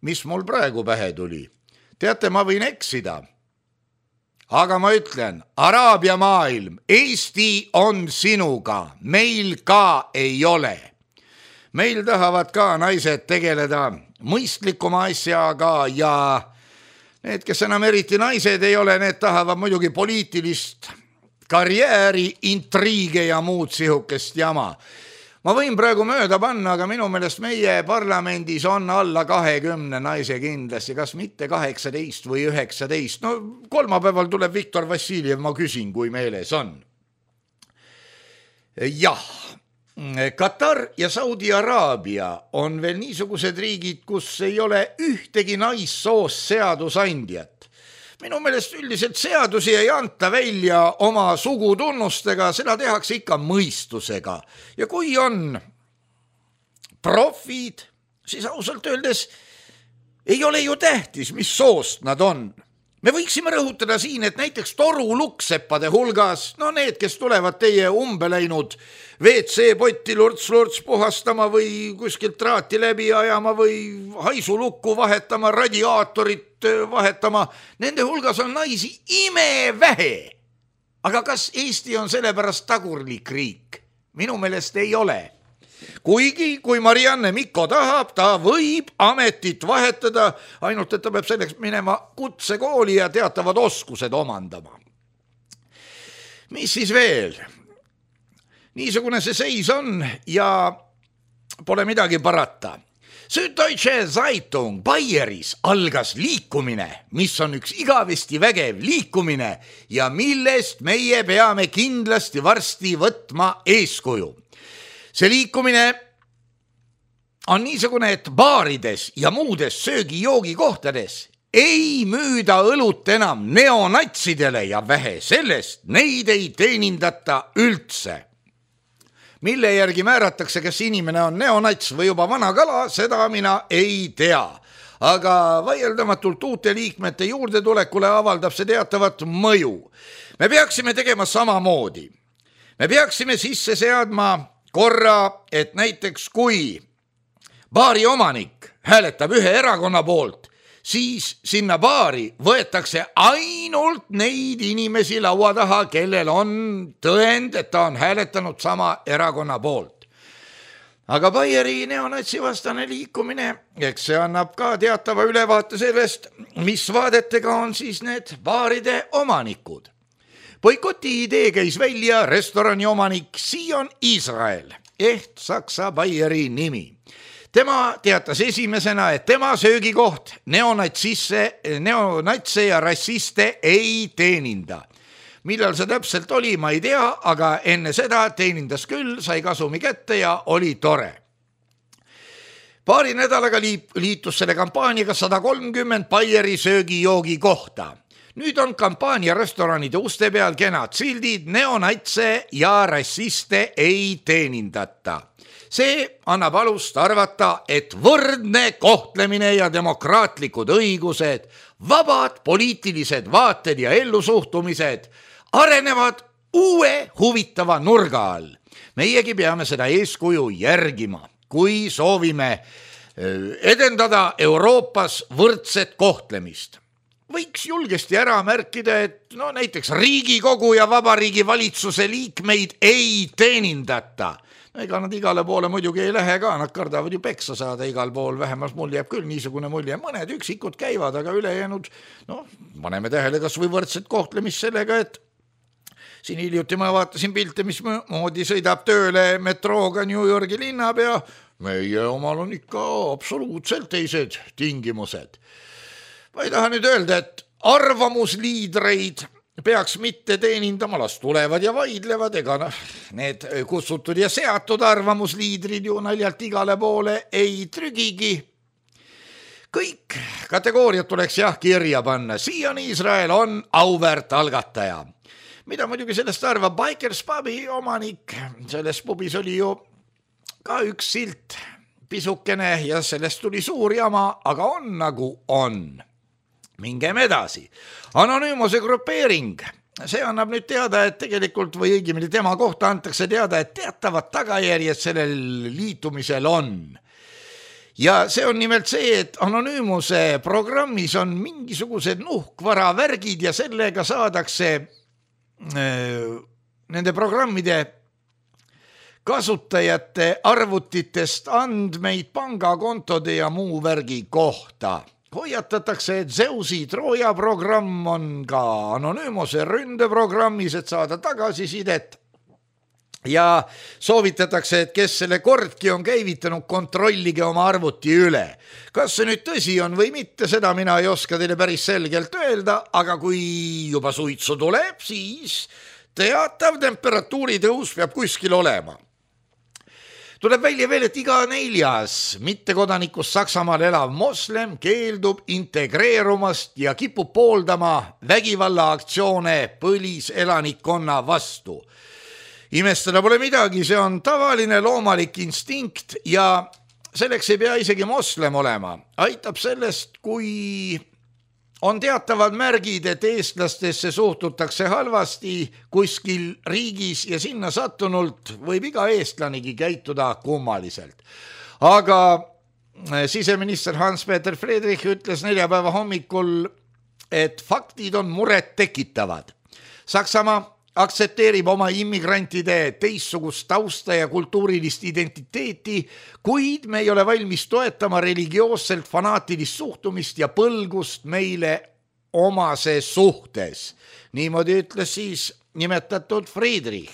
mis mul praegu pähe tuli. Teate, ma võin eksida. Aga ma ütlen, Araabia maailm, Eesti on sinuga, meil ka ei ole. Meil tahavad ka naised tegeleda mõistlikuma asjaga ja need, kes enam eriti naised ei ole, need tahavad muidugi poliitilist karjääri, intriige ja muud sihukest jama. Ma võin praegu mööda panna, aga minu meelest meie parlamendis on alla kahekümne naise kindlasti, kas mitte kaheksateist või üheksateist. No kolmapäeval tuleb Viktor Vassiljev, ma küsin, kui meeles on. Jah, Katar ja Saudi Araabia on veel niisugused riigid, kus ei ole ühtegi naissoost seadusandjat. Minu meelest üldiselt seadusi ei anta välja oma sugutunnustega, seda tehakse ikka mõistusega. Ja kui on profid, siis ausalt öeldes ei ole ju tähtis, mis soost nad on. Me võiksime rõhutada siin, et näiteks torulukseppade hulgas, no need, kes tulevad teie umbeläinud V C-potti lurts-lurts puhastama või kuskilt traati läbi ajama või haisulukku vahetama, radiaatorit vahetama, nende hulgas on naisi imevähe. Aga kas Eesti on sellepärast tagurlik riik? Minu meelest ei ole. Kuigi, kui Marianne Mikko tahab, ta võib ametit vahetada, ainult et ta peab selleks minema kutsekooli ja teatavad oskused omandama. Mis siis veel? Niisugune see seis on ja pole midagi parata. Süddeutsche Zeitung Baieris algas liikumine, mis on üks igavesti vägev liikumine ja millest meie peame kindlasti varsti võtma eeskuju. See liikumine on niisugune, et baarides ja muudes söögi-joogikohtades ei müüda õlut enam neonatsidele ja vähe sellest, neid ei teenindata üldse. Mille järgi määratakse, kes inimene on neonats või juba vana kala, seda mina ei tea. Aga vaieldamatult uute liikmete juurde tulekule avaldab see teatavat mõju. Me peaksime tegema samamoodi. Me peaksime sisse seadma korra, et näiteks kui baari omanik hääletab ühe erakonna poolt, siis sinna baari võetakse ainult neid inimesi laua taha, kellel on tõend, et ta on hääletanud sama erakonna poolt. Aga Baieri neonatsi vastane liikumine, eks see annab ka teatava ülevaate sellest, mis vaadetega on siis need baaride omanikud. Boikoti idee käis välja restorani omanik Sion Israel, ehk Saksa Baieri nimi. Tema teatas esimesena, et tema söögikoht neonatsisse, neonatse ja rassiste ei teeninda. Millal see täpselt oli, ma ei tea, aga enne seda teenindas küll, sai kasumi kätte ja oli tore. Paari nädalaga liitus selle kampaaniaga sada kolmkümmend Baieri söögi-joogi kohta. Nüüd on kampaania restoranide uste peal kenad sildid, neonatse ja rassiste ei teenindata. See annab alust arvata, et võrdne kohtlemine ja demokraatlikud õigused, vabad poliitilised vaated ja ellusuhtumised arenevad uue huvitava nurga all. Meiegi peame seda eeskuju järgima, kui soovime edendada Euroopas võrdset kohtlemist. Võiks julgesti ära märkida, et no näiteks Riigikogu ja Vabariigi valitsuse liikmeid ei teenindata. No, ega nad igale poole muidugi ei lähe ka, nad kardavad ju peksa saada igal pool, vähemalt mul jääb küll niisugune mulje. Mõned üksikud käivad, aga ülejäänud, no, paneme tähele kas või võrdset kohtlemist sellega, et siin hiljuti ma vaatasin pilte, mis moodi sõidab tööle metrooga New Yorgi linnapea. Meie omal on ikka absoluutselt teised tingimused. Ma ei taha nüüd öelda, et arvamusliidreid peaks mitte teenindama, las tulevad ja vaidlevad, ega noh, need kutsutud ja seatud arvamusliidrid ju naljalt igale poole ei trügigi. Kõik kategooriad tuleks jah kirja panna. Sion Israel on auväärt algataja. Mida muidugi sellest arvab Bikers Pubi omanik? Selles pubis oli ju ka üks silt pisukene ja sellest tuli suur jama, aga on nagu on. Mingem edasi. Anonüümose grupeering. See annab nüüd teada, et tegelikult või õigemini tema kohta antakse teada, et teatavad tagajärjed sellel liitumisel on. ja see on nimelt see, et Anonüümuse programmis on mingisugused nuhkvara värgid ja sellega saadakse äh, nende programmide kasutajate arvutitest andmeid pangakontode ja muu värgi kohta. Hoiatatakse, et Zeusi Troja programm on ka Anonüümuse ründeprogrammis, et saada tagasisidet. Ja soovitatakse, et kes selle kordki on käivitanud, kontrollige oma arvuti üle. Kas see nüüd tõsi on või mitte, seda mina ei oska teile päris selgelt öelda, aga kui juba suitsu tuleb, siis teatav temperatuuri tõus peab kuskil olema. Tuleb välja veel, et iga neljas mittekodanikust Saksamaal elav moslem keeldub integreerumast ja kipub pooldama vägivallaaktsioone põliselanikkonna vastu. Imestada pole midagi, see on tavaline loomalik instinkt ja selleks ei pea isegi moslem olema. Aitab sellest, kui on teatavad märgid, et eestlastesse suhtutakse halvasti kuskil riigis ja sinna sattunult võib iga eestlanigi käituda kummaliselt. Aga siseminister Hans-Peter Friedrich ütles neljapäeva hommikul, et faktid on muret tekitavad. Saksamaa aktsepteerib oma immigrantide teistsugust tausta ja kultuurilist identiteeti, kuid me ei ole valmis toetama religioosselt fanaatilist suhtumist ja põlgust meile omase suhtes. Niimoodi ütles siis nimetatud Friedrich.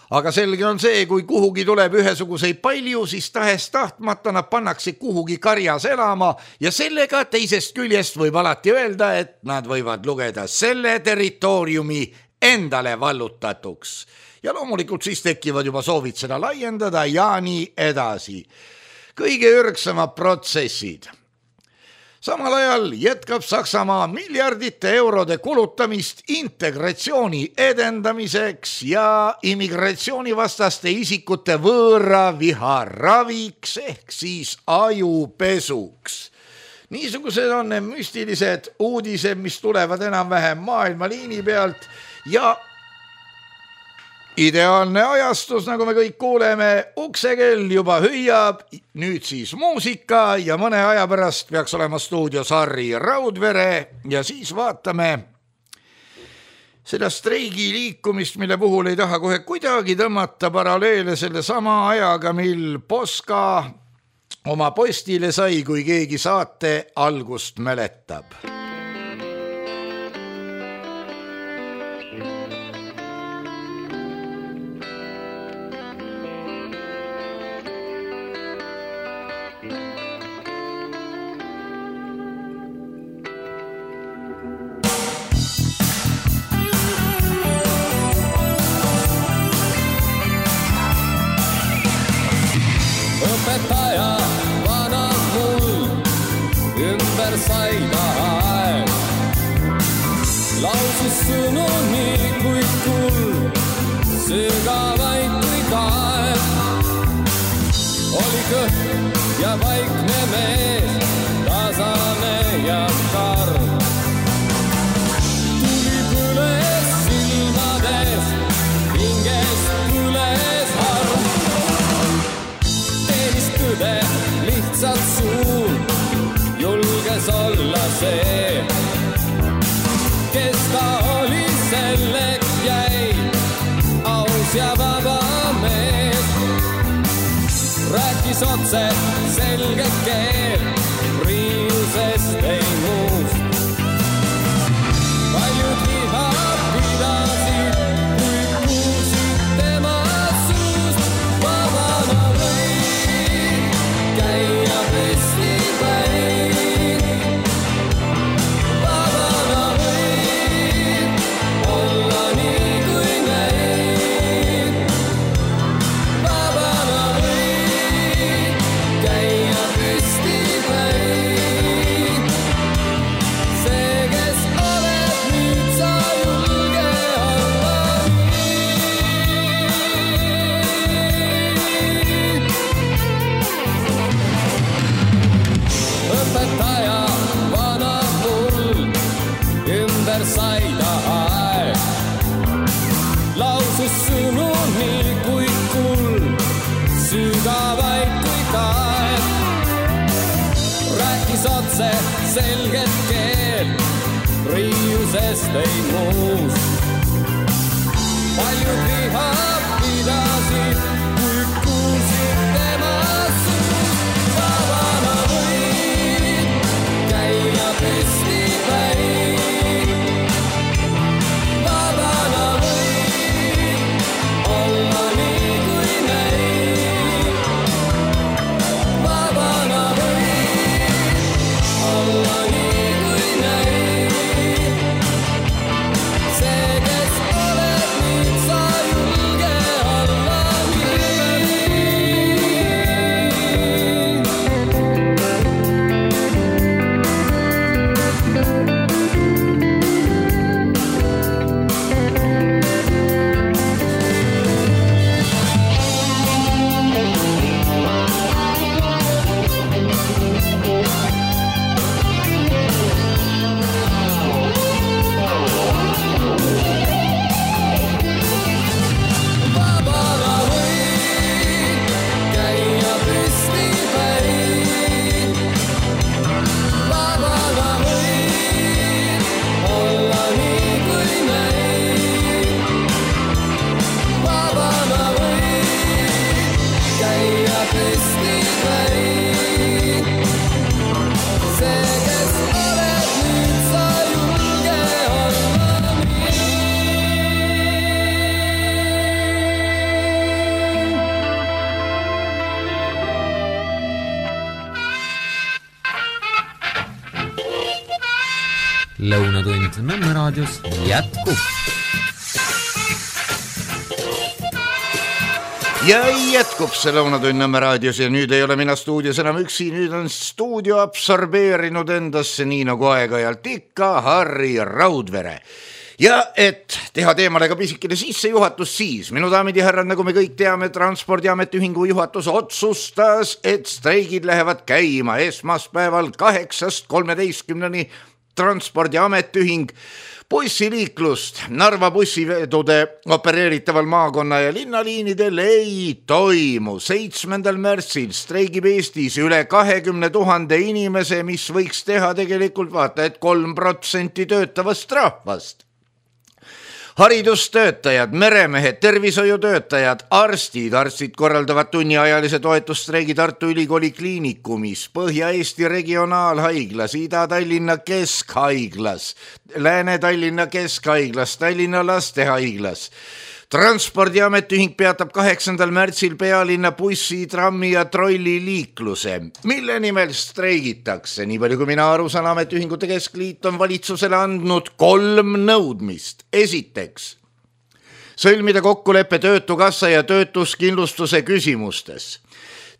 Aga selge on see, kui kuhugi tuleb ühesuguseid palju, siis tahes tahtmata nad pannakse kuhugi karjas elama ja sellega teisest küljest võib alati öelda, et nad võivad lugeda selle territooriumi endale vallutatuks. Ja loomulikult siis tekivad juba soovid seda laiendada ja nii edasi. Kõige ürgsamad protsessid. Samal ajal jätkab Saksamaa miljardite eurode kulutamist integratsiooni edendamiseks ja immigratsioonivastaste isikute võõra viha raviks ehk siis ajupesuks. Niisugused on need müstilised uudised, mis tulevad enam-vähem maailma liini pealt ja ideaalne ajastus, nagu me kõik kuuleme, uksekell juba hüüab, nüüd siis muusika ja mõne aja pärast peaks olema stuudios Harri Raudvere ja siis vaatame seda streigi liikumist, mille puhul ei taha kohe kuidagi tõmmata paralleele selle sama ajaga, mil Poska oma postile sai, kui keegi saate algust mäletab. Ja vaikne mees, tasane ja karm. Tuli põles silmades, hingest põles harm. Teenis tõde lihtsalt suun, julges olla see, kes ta oli, selleks jäi, aus ja vaba mees. Rääkis otse selge keel, riiusest ei muust. Paljud viha pidasid, kui kuulsid tema suust. Vabana võid käia festivalil. Vabana võid olla nii kui meil. Vabana võid käia festivalil. See, kes oled nüüd, sa julge olla nii. Õpetaja vana mul ümber sai ta aeg. Lausus sõnu nii kui kuld, sügavaid kui kaed. selget keelt riiusest ei muus. Paljud viha pidasid, kui kuulsid tema suus. Vabana võid käia püsti päin. Vabana võid olla nii kui näin. Vabana võid olla nii kui näin. See, kes oled nüüd, sa julge olla nii. Vabana võid käia püsti päin. Vabana võid olla nii kui näin. Vabana võid käia püsti päin. See, kes oled nüüd, sa julge olla nii. Lõunatund Nõmme raadios jätkub. Ja jätkub see Lõunatund Nõmme raadios ja nüüd ei ole mina stuudios enam üksi, nüüd on stuudio absorbeerinud endasse nii nagu aeg-ajalt ikka Harri Raudvere. Ja et teha teemale ka pisikene sissejuhatus, siis minu daamid ja härrad, nagu me kõik teame, Transpordiameti ühingu juhatus otsustas, et streigid lähevad käima esmaspäeval kaheksast kolmeteistkümneni. Transpordiameti ühing bussiliiklust Narva bussivedude opereeritaval maakonna ja linnaliinidel ei toimu. seitsmendal märtsil streigib Eestis üle kahekümne tuhande inimese, mis võiks teha tegelikult vaata, et kolm protsenti töötavast rahvast. Haridustöötajad, meremehed, tervishoiutöötajad, arstid, arstid korraldavad tunniajalise toetusstreigi Tartu Ülikooli kliinikumis, Põhja-Eesti regionaalhaiglas, Ida-Tallinna keskhaiglas, Lääne-Tallinna keskhaiglas, Tallinna lastehaiglas. Transpordiameti ühing peatab kaheksandal märtsil pealinna bussi, trammi ja trolli liikluse. Mille nimel streigitakse? Nii palju kui mina aru saan, ametiühingute keskliit on valitsusele andnud kolm nõudmist. Esiteks, sõlmida kokkuleppe töötukassa ja töötuskindlustuse küsimustes.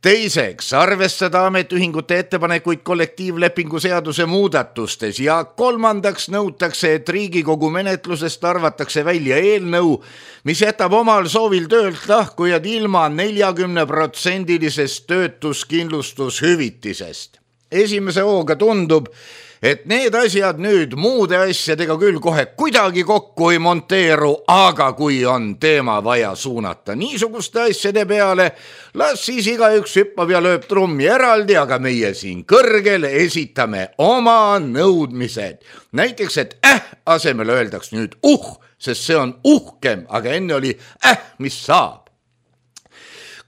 Teiseks, arvestada ametiühingute ettepanekuid kollektiivlepingu seaduse muudatustes ja kolmandaks nõutakse, et Riigikogu menetlusest arvatakse välja eelnõu, mis jätab omal soovil töölt lahkujad ilma neljakümne protsendilisest töötuskindlustushüvitisest. Esimese hooga tundub, et need asjad nüüd muude asjadega küll kohe kuidagi kokku ei monteeru, aga kui on teema vaja suunata niisuguste asjade peale, las siis igaüks hüppab ja lööb trummi eraldi, aga meie siin kõrgel esitame oma nõudmised. Näiteks, et äh asemel öeldaks nüüd uh, sest see on uhkem, aga enne oli äh, mis saab.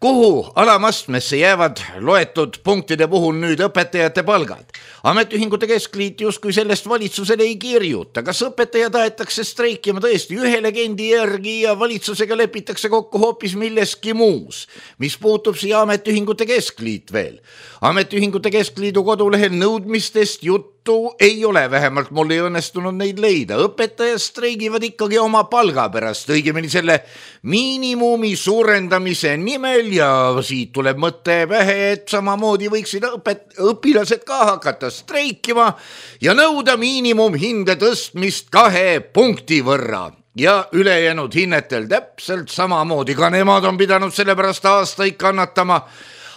Kuhu alamastmesse jäävad loetud punktide puhul nüüd õpetajate palgad? Ametiühingute keskliit justkui sellest valitsusele ei kirjuta. Kas õpetaja tahetakse streikima tõesti ühe legendi järgi ja valitsusega lepitakse kokku hoopis milleski muus? Mis puutub siia ametiühingute keskliit veel? Ametiühingute keskliidu kodulehel nõudmistest juttu ei ole, vähemalt mul ei õnnestunud neid leida. Õpetajad streigivad ikkagi oma palga pärast, õigemini selle miinimumi suurendamise nimel ja siit tuleb mõte pähe, et samamoodi võiksid õpet- õpilased ka hakata streikima ja nõuda miinimumhinde tõstmist kahe punkti võrra. Ja ülejäänud hinnetel täpselt samamoodi, ka nemad on pidanud selle pärast aastaid kannatama.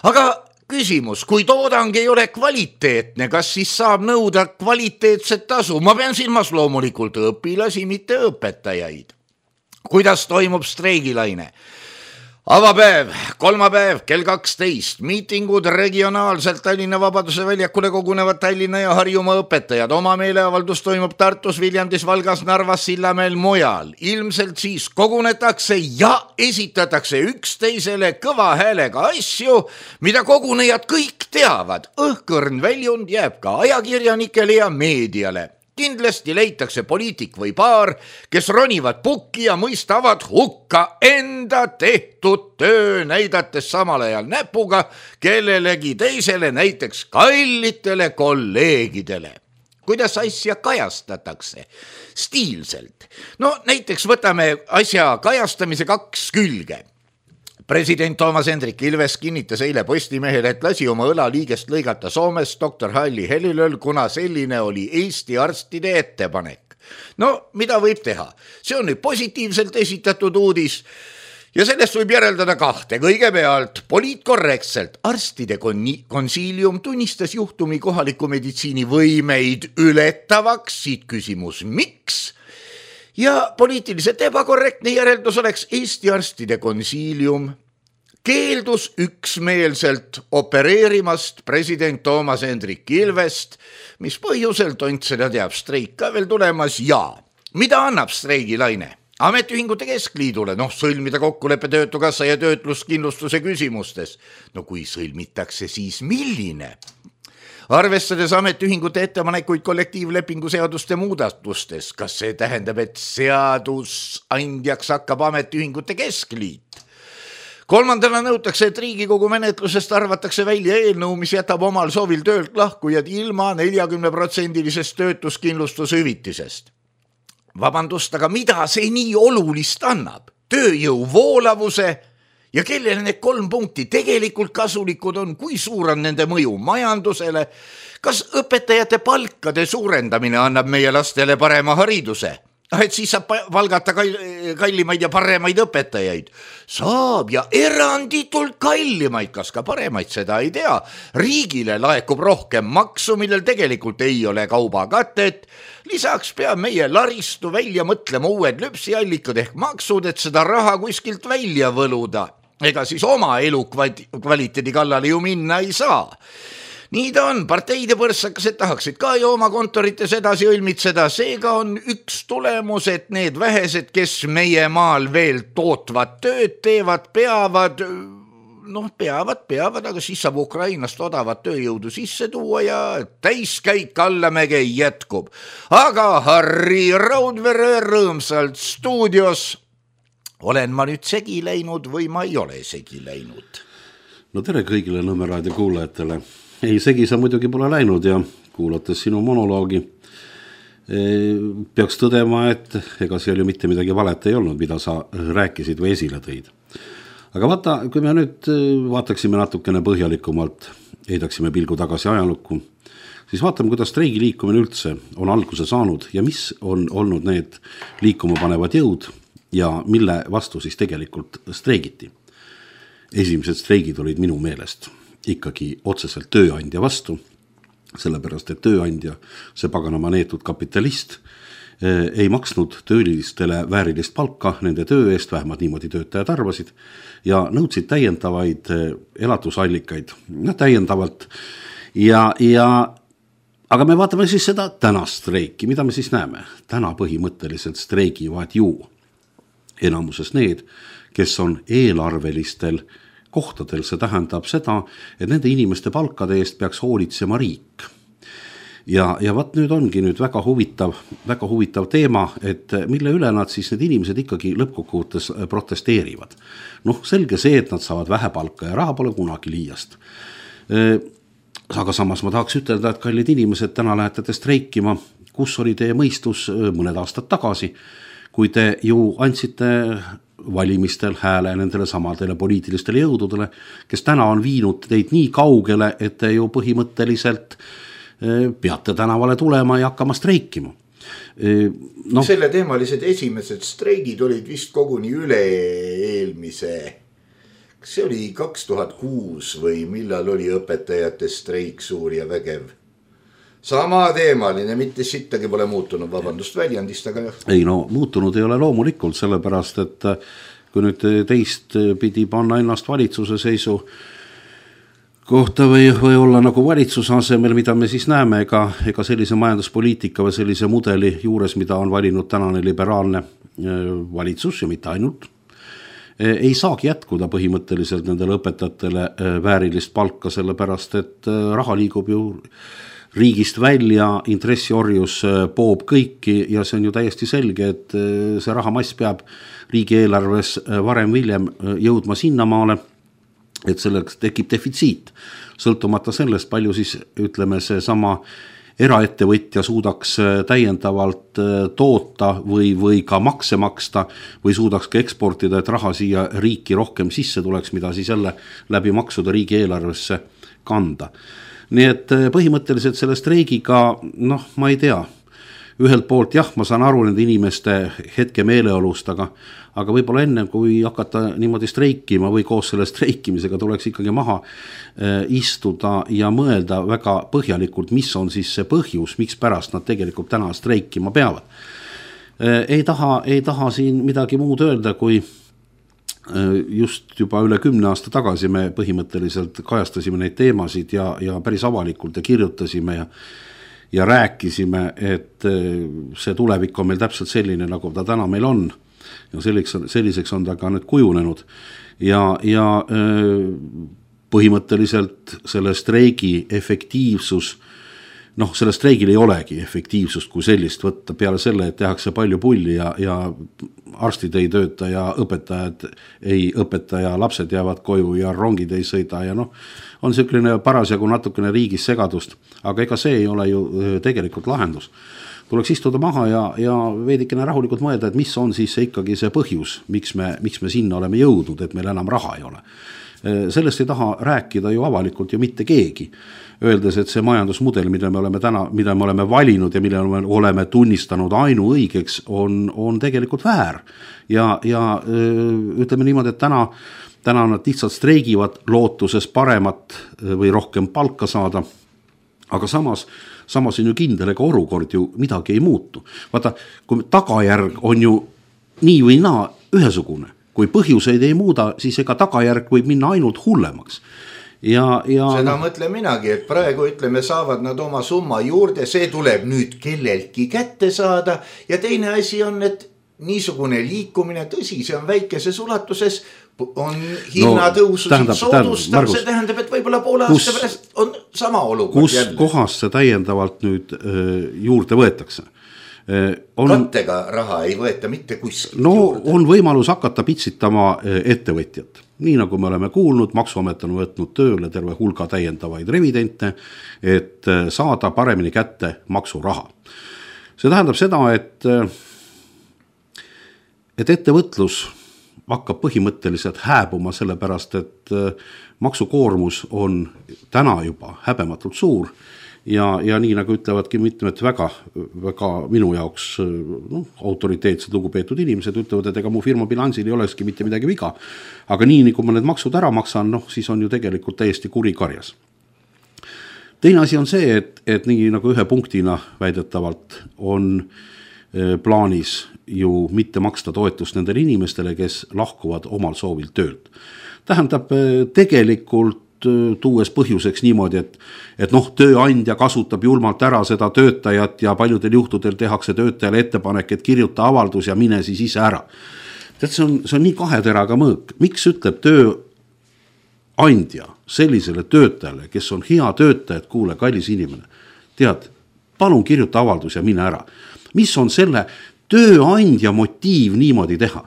Aga küsimus, kui toodang ei ole kvaliteetne, kas siis saab nõuda kvaliteetset tasu? Ma pean silmas loomulikult õpilasi, mitte õpetajaid. Kuidas toimub streigilaine? Avapäev, kolmapäev, kell kaksteist, miitingud regionaalselt Tallinna Vabaduse väljakule kogunevad Tallinna ja Harjumaa õpetajad. Oma meeleavaldus toimub Tartus, Viljandis, Valgas, Narvas, Sillamäel, mujal. Ilmselt siis kogunetakse ja esitatakse üksteisele kõva häälega asju, mida kogunejad kõik teavad. Õhkõrn väljund jääb ka ajakirjanikele ja meediale. Kindlasti leitakse poliitik või paar, kes ronivad pukki ja mõistavad hukka enda tehtud töö, näidates samal ajal näpuga kellelegi teisele, näiteks kallitele kolleegidele. Kuidas asja kajastatakse? Stiilselt. No näiteks võtame asja kajastamise kaks külge. President Toomas Hendrik Ilves kinnitas eile Postimehele, et lasi oma õlaliigest lõigata Soomes doktor Halli Helilöl, kuna selline oli Eesti arstide ettepanek. No, mida võib teha? See on nüüd positiivselt esitatud uudis ja sellest võib järeldada kahte. Kõigepealt poliitkorrektselt arstide konsiilium tunnistas juhtumi kohaliku meditsiini võimeid ületavaks. Siit küsimus, miks? Ja poliitiliselt ebakorrektne järeldus oleks Eesti arstide konsiilium keeldus üksmeelselt opereerimast president Toomas Hendrik Ilvest, mis põhjusel tont seda teab, streik ka veel tulemas ja mida annab streigilaine? Ametiühingute keskliidule, noh sõlmida kokkuleppe töötukassa ja töötluskindlustuse küsimustes. No kui sõlmitakse, siis milline? Arvestades ametiühingute ettepanekuid kollektiivlepingu seaduste muudatustes, kas see tähendab, et seadusandjaks hakkab ametiühingute keskliit? Kolmandana nõutakse, et Riigikogu menetlusest arvatakse välja eelnõu, mis jätab omal soovil töölt lahkujad ilma neljakümne protsendilisest töötuskindlustushüvitisest. Vabandust, aga mida see nii olulist annab? Tööjõu voolavuse ja kellele need kolm punkti tegelikult kasulikud on, kui suur on nende mõju majandusele, kas õpetajate palkade suurendamine annab meie lastele parema hariduse? Et siis saab valgata kallimaid ja paremaid õpetajaid. Saab ja eranditult kallimaid, kas ka paremaid, seda ei tea. Riigile laekub rohkem maksu, millel tegelikult ei ole kaubakatet. Lisaks peab meie laristu välja mõtlema uued lüpsiallikad ehk maksud, et seda raha kuskilt välja võluda. Ega siis oma elu kvaliteedi kallale ju minna ei saa. Nii ta on, parteide põrsakased tahaksid ka ju oma kontorites edasi õlmitseda, seega on üks tulemus, et need vähesed, kes meie maal veel tootvad tööd teevad, peavad, noh peavad, peavad, aga siis saab Ukrainast odavat tööjõudu sisse tuua ja täiskäik allamäge jätkub. Aga Harri Raudvere rõõmsalt stuudios. Olen ma nüüd segi läinud või ma ei ole segi läinud? No tere kõigile Nõmme raadio kuulajatele. Ei, segi sa muidugi pole läinud ja kuulates sinu monoloogi peaks tõdema, et ega seal ju mitte midagi valet ei olnud, mida sa rääkisid või esile tõid. Aga vaata, kui me nüüd vaataksime natukene põhjalikumalt, heidaksime pilgu tagasi ajalukku, siis vaatame, kuidas streigi liikumine üldse on alguse saanud ja mis on olnud need liikuma panevad jõud ja mille vastu siis tegelikult streigiti. Esimesed streigid olid minu meelest ikkagi otseselt tööandja vastu, sellepärast, et tööandja, see paganama neetud kapitalist, ei maksnud töölistele väärilist palka nende töö eest, vähemalt niimoodi töötajad arvasid, ja nõudsid täiendavaid elatusallikaid, no täiendavalt. Ja, ja, aga me vaatame siis seda tänast streiki, mida me siis näeme? Täna põhimõtteliselt streigivad ju enamuses need, kes on eelarvelistel kohtadel, see tähendab seda, et nende inimeste palkade eest peaks hoolitsema riik. Ja, ja vaat nüüd ongi nüüd väga huvitav, väga huvitav teema, et mille üle nad siis need inimesed ikkagi lõppkokkuvõttes protesteerivad. Noh, selge see, et nad saavad vähe palka ja raha pole kunagi liiast. Aga samas ma tahaks ütelda, et kallid inimesed, täna lähete te streikima, kus oli teie mõistus mõned aastad tagasi, kui te ju andsite valimistel hääle nendele samadele poliitilistele jõududele, kes täna on viinud teid nii kaugele, et te ju põhimõtteliselt peate tänavale tulema ja hakkama streikima. No. Selle teemalised esimesed streigid olid vist koguni üle eelmise, kas see oli kaks tuhat kuus või millal oli õpetajate streik suur ja vägev? Sama teemaline, mitte sittagi pole muutunud, vabandust väljendist, aga jah. Ei no, muutunud ei ole loomulikult, sellepärast, et kui nüüd teist pidi panna ennast valitsuse seisu kohta või, või olla nagu valitsuse asemel, mida me siis näeme, ega, ega sellise majanduspoliitika või sellise mudeli juures, mida on valinud tänane liberaalne valitsus ja mitte ainult, ei saagi jätkuda põhimõtteliselt nendele õpetajatele väärilist palka, sellepärast et raha liigub ju riigist välja, intressiorjus poob kõiki ja see on ju täiesti selge, et see rahamass peab riigieelarves varem viljem jõudma sinnamaale, et selleks tekib defitsiit, sõltumata sellest, palju siis ütleme see sama eraettevõtja suudaks täiendavalt toota või, või ka makse maksta või suudaks ka eksportida, et raha siia riiki rohkem sisse tuleks, mida siis jälle läbi maksuda riigieelarvesse kanda. Nii et põhimõtteliselt selle streigiga, noh, ma ei tea, ühelt poolt jah, ma saan aru nende inimeste hetke meeleolust, aga aga võib-olla enne, kui hakata niimoodi streikima või koos selle streikimisega tuleks ikkagi maha istuda ja mõelda väga põhjalikult, mis on siis see põhjus, miks pärast nad tegelikult täna streikima peavad. Ei taha, ei taha siin midagi muud öelda, kui just juba üle kümne aasta tagasi me põhimõtteliselt kajastasime neid teemasid ja, ja päris avalikult ja kirjutasime ja ja rääkisime, et see tulevik on meil täpselt selline, nagu ta täna meil on. Ja selliseks, selliseks on ta ka nüüd kujunenud ja, ja põhimõtteliselt selle streigi efektiivsus, noh, selle streigil ei olegi efektiivsust kui sellist võtta peale selle, et tehakse palju pulli ja, ja arstid ei tööta ja õpetajad ei õpeta ja lapsed jäävad koju ja rongid ei sõida ja noh, on selline parasjagu natukene riigis segadust, aga ega see ei ole ju tegelikult lahendus. Tuleks istuda maha ja, ja veidikene rahulikult mõelda, et mis on siis ikkagi see põhjus, miks me, miks me sinna oleme jõudnud, et meil enam raha ei ole. Sellest ei taha rääkida ju avalikult ju mitte keegi, öeldes, et see majandusmudel, mida me oleme täna, mida me oleme valinud ja mille me oleme tunnistanud ainu õigeks, on, on tegelikult väär. Ja, ja ütleme niimoodi, et täna, täna nad lihtsalt streigivad lootuses paremat või rohkem palka saada, aga samas Samas on ju kindel, ega olukord ju midagi ei muutu. Vaata, kui tagajärg on ju nii või naa ühesugune, kui põhjuseid ei muuda, siis ega tagajärg võib minna ainult hullemaks. Ja, ja... Seda mõtlen minagi, et praegu ütleme, saavad nad oma summa juurde, see tuleb nüüd kelleltki kätte saada ja teine asi on, et niisugune liikumine, tõsi, see on väikeses ulatuses, on hinnatõusu no, soodustab, see tähendab, et võib-olla poole aasta pärast on sama olukord kus jälle. Kohas see täiendavalt nüüd öö, juurde võetakse? On, kattega raha ei võeta mitte kuskilt no, juurde. On võimalus hakata pitsitama ettevõtjat. Nii nagu me oleme kuulnud, maksuamet on võtnud tööle terve hulga täiendavaid revidente, et saada paremini kätte maksuraha. See tähendab seda, et, et ettevõtlus hakkab põhimõtteliselt hääbuma sellepärast, et maksukoormus on täna juba häbematult suur ja, ja nii nagu ütlevadki mitmed väga, väga minu jaoks no, autoriteetsed lugupeetud inimesed ütlevad, et ega mu firma bilansil ei olekski mitte midagi viga, aga nii, nii kui ma need maksud ära maksan, noh, siis on ju tegelikult täiesti kuri karjas. Teine asi on see, et, et nii nagu ühe punktina väidetavalt on plaanis ju mitte maksta toetust nendele inimestele, kes lahkuvad omal soovil töölt. Tähendab tegelikult tuues põhjuseks niimoodi, et, et noh, tööandja kasutab julmalt ära seda töötajat ja paljudel juhtudel tehakse töötajale ettepanek, et kirjuta avaldus ja mine siis ise ära. Tead, see on, see on nii kaheteraga mõõk. Miks ütleb tööandja sellisele töötajale, kes on hea töötaja, et kuule, kallis inimene, tead, palun kirjuta avaldus ja mine ära. Mis on selle tööandja motiiv niimoodi teha?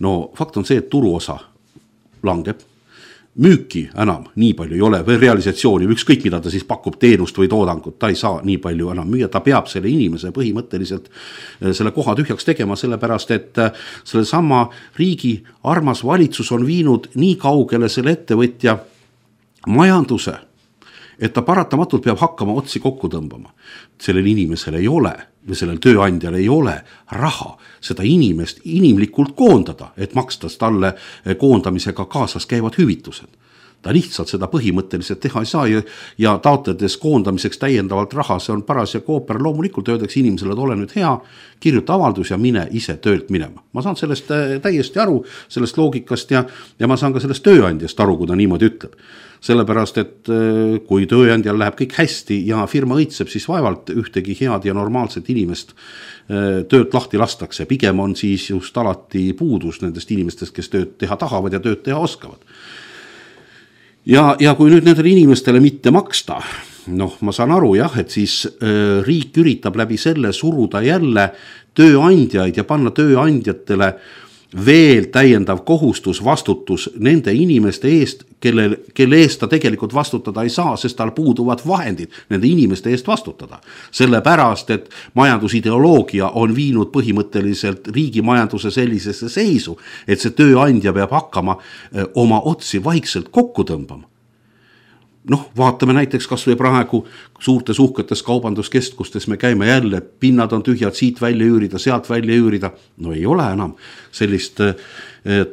No fakt on see, et turuosa langeb, müüki enam nii palju ei ole või realisatsiooni, ükskõik mida ta siis pakub teenust või toodangut, ta ei saa nii palju enam müüa, ta peab selle inimese põhimõtteliselt selle koha tühjaks tegema, sellepärast et selle sama riigi armas valitsus on viinud nii kaugele selle ettevõtja majanduse, et ta paratamatult peab hakkama otsi kokku tõmbama. Sellel inimesel ei ole või sellel tööandjal ei ole raha seda inimest inimlikult koondada, et makstas talle koondamisega kaasas käivad hüvitused. ta lihtsalt seda põhimõtteliselt teha ei saa ja, ja taotledes koondamiseks täiendavalt raha, see on paras ja kooper, loomulikult öeldakse inimesele, et ole nüüd hea, kirjuta avaldus ja mine ise töölt minema. Ma saan sellest täiesti aru, sellest loogikast ja, ja ma saan ka sellest tööandjast aru, kui ta niimoodi ütleb. Sellepärast, et kui tööandjal läheb kõik hästi ja firma õitseb, siis vaevalt ühtegi head ja normaalset inimest töölt lahti lastakse. Pigem on siis just alati puudus nendest inimestest, kes tööd teha tahavad ja tööd teha oskavad. Ja, ja kui nüüd nendele inimestele mitte maksta, noh, ma saan aru jah, et siis äh, riik üritab läbi selle suruda jälle tööandjaid ja panna tööandjatele veel täiendav kohustus, vastutus nende inimeste eest, kelle, kelle eest ta tegelikult vastutada ei saa, sest tal puuduvad vahendid nende inimeste eest vastutada. Sellepärast, et majandusideoloogia on viinud põhimõtteliselt riigi majanduse sellisesse seisu, et see tööandja peab hakkama oma otsi vaikselt kokku tõmbama. Noh, vaatame näiteks kas või praegu suurtes uhketes kaubanduskeskustes me käime jälle, pinnad on tühjad, siit välja üürida, sealt välja üürida. No ei ole enam sellist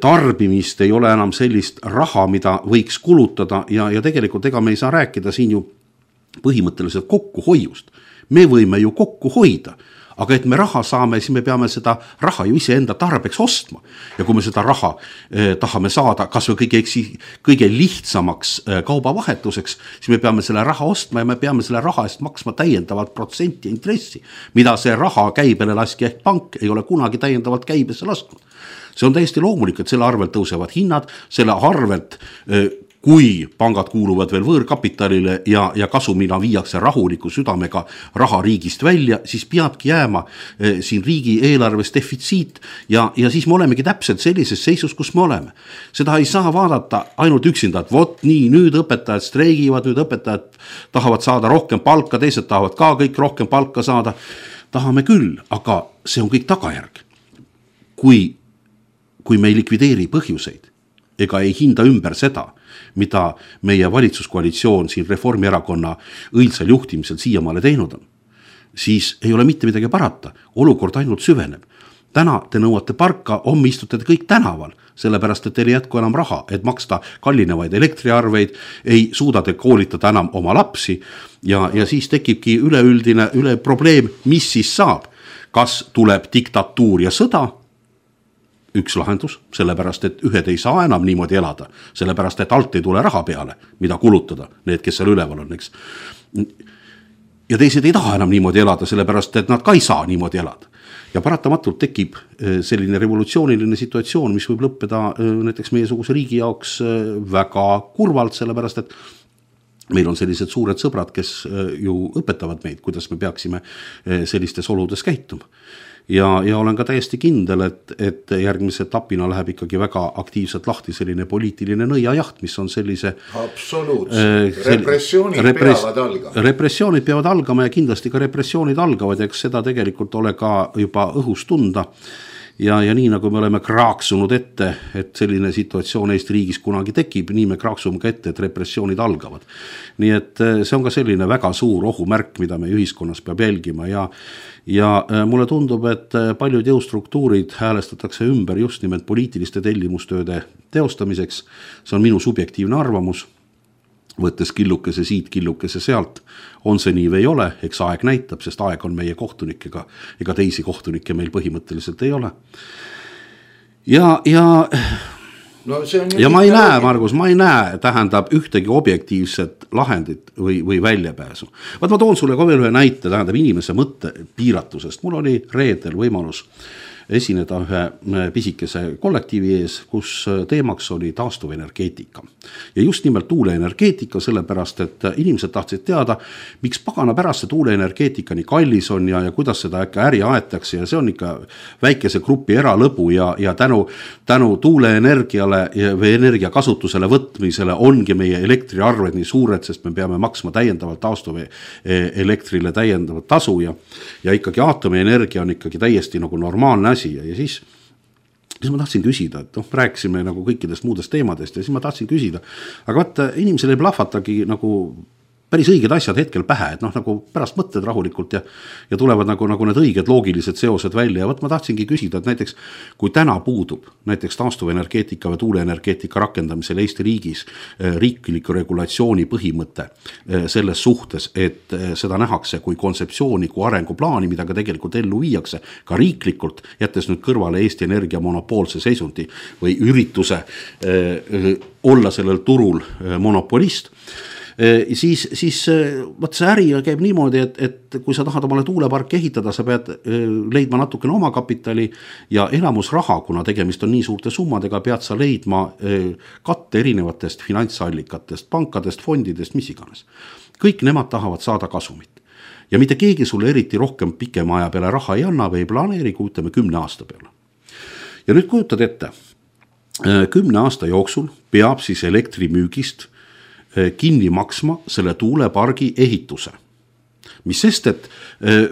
tarbimist, ei ole enam sellist raha, mida võiks kulutada ja, ja tegelikult ega me ei saa rääkida siin ju põhimõtteliselt kokkuhoiust. Me võime ju kokku hoida, aga et me raha saame, siis me peame seda raha ju ise enda tarbeks ostma. Ja kui me seda raha eh, tahame saada kas või kõige, kõige lihtsamaks eh, kaubavahetuseks, siis me peame selle raha ostma ja me peame selle raha eest maksma täiendavalt protsenti intressi, mida see raha käibele laski ehk pank ei ole kunagi täiendavalt käibesse lasknud. See on täiesti loomulik, et selle arvelt tõusevad hinnad, selle arvelt eh, kui pangad kuuluvad veel võõrkapitalile ja, ja kasumina viiakse rahuliku südamega raha riigist välja, siis peabki jääma eh, siin riigi eelarves defitsiit ja, ja siis me olemegi täpselt sellises seisus, kus me oleme. Seda ei saa vaadata ainult üksinda, et vot nii, nüüd õpetajad streigivad, nüüd õpetajad tahavad saada rohkem palka, teised tahavad ka kõik rohkem palka saada. Tahame küll, aga see on kõik tagajärg. Kui, kui me ei likvideeri põhjuseid ega ei hinda ümber seda, mida meie valitsuskoalitsioon siin Reformierakonna õilsal juhtimisel siiamaale teinud on, siis ei ole mitte midagi parata. Olukord ainult süveneb. Täna te nõuate parka, homme istute te kõik tänaval, sellepärast, et teil ei jätku enam raha, et maksta kallinevaid elektriarveid, ei suuda te koolitada enam oma lapsi ja, ja siis tekibki üleüldine üle probleem, mis siis saab. Kas tuleb diktatuur ja sõda? Üks lahendus, sellepärast, et ühed ei saa enam niimoodi elada, sellepärast, et alt ei tule raha peale, mida kulutada, need, kes seal üleval on, eks. Ja teised ei taha enam niimoodi elada, sellepärast, et nad ka ei saa niimoodi elada. Ja paratamatult tekib selline revolutsiooniline situatsioon, mis võib lõppeda näiteks meiesuguse riigi jaoks väga kurvalt, sellepärast, et meil on sellised suured sõbrad, kes ju õpetavad meid, kuidas me peaksime sellistes oludes käituma. Ja, ja olen ka täiesti kindel, et, et järgmise etapina läheb ikkagi väga aktiivselt lahti selline poliitiline nõiajaht, mis on sellise... Absoluutselt. Äh, repressioonid repres, peavad algama. Repressioonid peavad algama ja kindlasti ka repressioonid algavad, eks seda tegelikult ole ka juba õhus tunda. Ja, ja nii nagu me oleme kraaksunud ette, et selline situatsioon Eesti riigis kunagi tekib, nii me kraaksume ka ette, et repressioonid algavad. Nii et see on ka selline väga suur ohumärk, mida me ühiskonnas peab jälgima ja, ja mulle tundub, et paljud jõustruktuurid häälestatakse ümber just nimelt poliitiliste tellimustööde teostamiseks. See on minu subjektiivne arvamus. Võttes killukese siit, killukese sealt, on see nii või ei ole, eks aeg näitab, sest aeg on meie kohtunikega, ega teisi kohtunikke meil põhimõtteliselt ei ole. Ja, ja, no see on ja ma ei näe, Margus, ma ei näe, tähendab ühtegi objektiivset lahendit või, või väljapääsu. Vaat ma toon sulle ka veel ühe näite, tähendab inimese mõtte piiratusest. Mul oli reedel võimalus esineda ühe pisikese kollektiivi ees, kus teemaks oli taastuvenergeetika. Ja just nimelt tuuleenergeetika, sellepärast, et inimesed tahtsid teada, miks pagana pärast see tuuleenergeetika nii kallis on ja, ja kuidas seda äkki äri aetakse ja see on ikka väikese grupi eralõbu ja, ja tänu, tänu tuuleenergiale või energia kasutusele võtmisele ongi meie elektriarved nii suured, sest me peame maksma täiendavalt taastuve elektrile täiendavat tasu ja, ja ikkagi aatomienergia on ikkagi täiesti nagu normaalne asi. Ja, ja siis, siis ma tahtsin küsida, et noh, rääkisime nagu kõikidest muudest teemadest ja siis ma tahtsin küsida, aga vaata, inimesel ei plahvatagi nagu päris õiged asjad hetkel pähe, et noh, nagu pärast mõtted rahulikult ja, ja tulevad nagu, nagu need õiged loogilised seosed välja ja võt ma tahtsingi küsida, et näiteks kui täna puudub näiteks taastuvenergeetika või tuuleenergeetika rakendamisel Eesti riigis riikliku regulatsiooni põhimõte selles suhtes, et seda nähakse kui kontseptsiooni, kui arenguplaani, mida ka tegelikult ellu viiakse ka riiklikult, jättes nüüd kõrvale Eesti Energia monopoolse seisundi või ürituse eh, olla sellel turul eh, monopolist, siis, siis võt see äri käib niimoodi, et, et kui sa tahad omale tuuleparki ehitada, sa pead leidma natukene oma kapitali ja enamus raha, kuna tegemist on nii suurte summadega, pead sa leidma katte erinevatest finantsallikatest, pankadest, fondidest, mis iganes. Kõik nemad tahavad saada kasumit. Ja mitte keegi sulle eriti rohkem pikema aja peale raha ei anna või ei planeeri, kui ütleme kümne aasta peale. Ja nüüd kujutad ette, kümne aasta jooksul peab siis elektrimüügist kinni maksma selle tuulepargi ehituse. Mis sest, et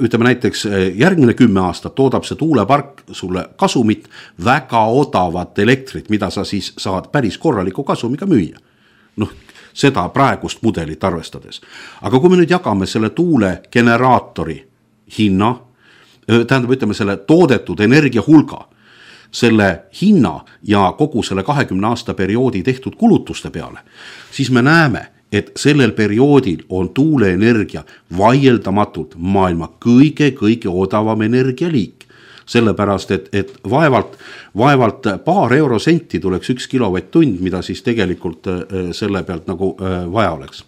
ütleme näiteks järgmine kümme aastat toodab see tuulepark sulle kasumit, väga odavat elektrit, mida sa siis saad päris korraliku kasumiga müüa. Noh, seda praegust mudelit arvestades. Aga kui me nüüd jagame selle tuulegeneraatori hinna, tähendab, ütleme selle toodetud energia hulga, selle hinna ja kogu selle kahekümne aasta perioodi tehtud kulutuste peale, siis me näeme, et sellel perioodil on tuuleenergia vaieldamatult maailma kõige-kõige odavam energialiik. Sellepärast, et, et vaevalt, vaevalt paar eurosenti tuleks üks kilovatt-tund, mida siis tegelikult selle pealt nagu vaja oleks.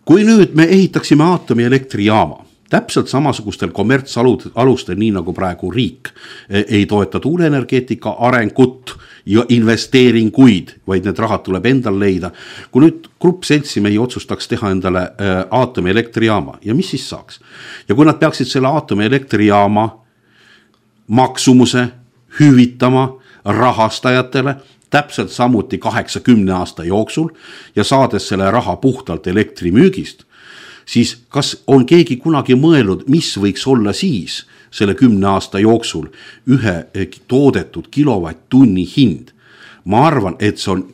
Kui nüüd me ehitaksime aatomielektrijaama, täpselt samasugustel kommertsalustel, nii nagu praegu riik ei toeta tuuleenergeetika arengut ja investeeringuid, vaid need rahad tuleb endal leida. Kui nüüd grupp seltsimehi otsustaks teha endale aatomielektrijaama ja mis siis saaks? Ja kui nad peaksid selle aatomielektrijaama maksumuse hüvitama rahastajatele täpselt samuti kaheksakümne aasta jooksul ja saades selle raha puhtalt elektrimüügist, siis kas on keegi kunagi mõelnud, mis võiks olla siis selle kümne aasta jooksul ühe toodetud kilovatt-tunni hind? Ma arvan, et see on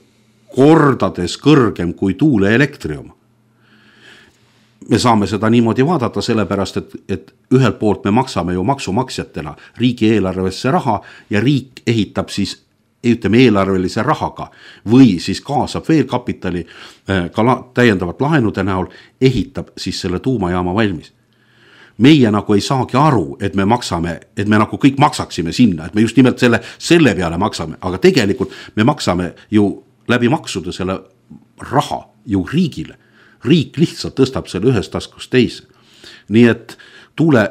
kordades kõrgem kui tuuleelektri oma. Me saame seda niimoodi vaadata sellepärast, et, et ühelt poolt me maksame ju maksumaksjatena riigi eelarvesse raha ja riik ehitab siis ütleme eelarvelise rahaga või siis kaasab veel kapitali ka täiendavat laenude näol, ehitab siis selle tuumajaama valmis. Meie nagu ei saagi aru, et me maksame, et me nagu kõik maksaksime sinna, et me just nimelt selle, selle peale maksame, aga tegelikult me maksame ju läbi maksude selle raha ju riigile. Riik lihtsalt tõstab selle ühest taskust teise. Nii et tuule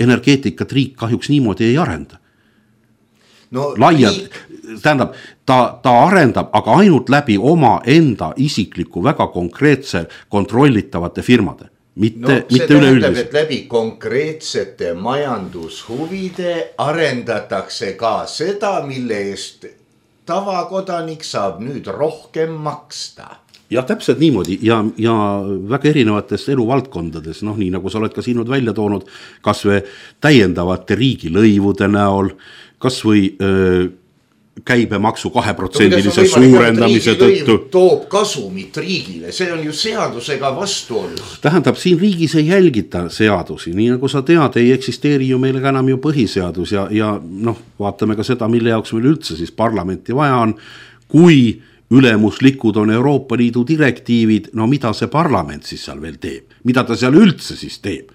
energeetikat riik kahjuks niimoodi ei arenda. No, laiad, riik... tähendab, ta, ta arendab, aga ainult läbi oma enda isikliku väga konkreetse kontrollitavate firmade. Mitte, no, mitte see tähendab, üleüldis. et läbi konkreetsete majandushuvide arendatakse ka seda, mille eest tavakodanik saab nüüd rohkem maksta. Ja täpselt niimoodi ja, ja väga erinevates eluvaldkondades, noh nii nagu sa oled ka siin välja toonud, kas või täiendavate riigilõivude näol, kas või öö, käibemaksu kaheprotsendilise suurendamise tõttu. Toob kasumit riigile, see on ju seadusega vastuolus. Tähendab, siin riigis ei jälgita seadusi, nii nagu sa tead, ei eksisteeri ju meil enam ju põhiseadus ja, ja noh, vaatame ka seda, mille jaoks meil üldse siis parlamenti vaja on, kui ülemuslikud on Euroopa Liidu direktiivid, no mida see parlament siis seal veel teeb, mida ta seal üldse siis teeb?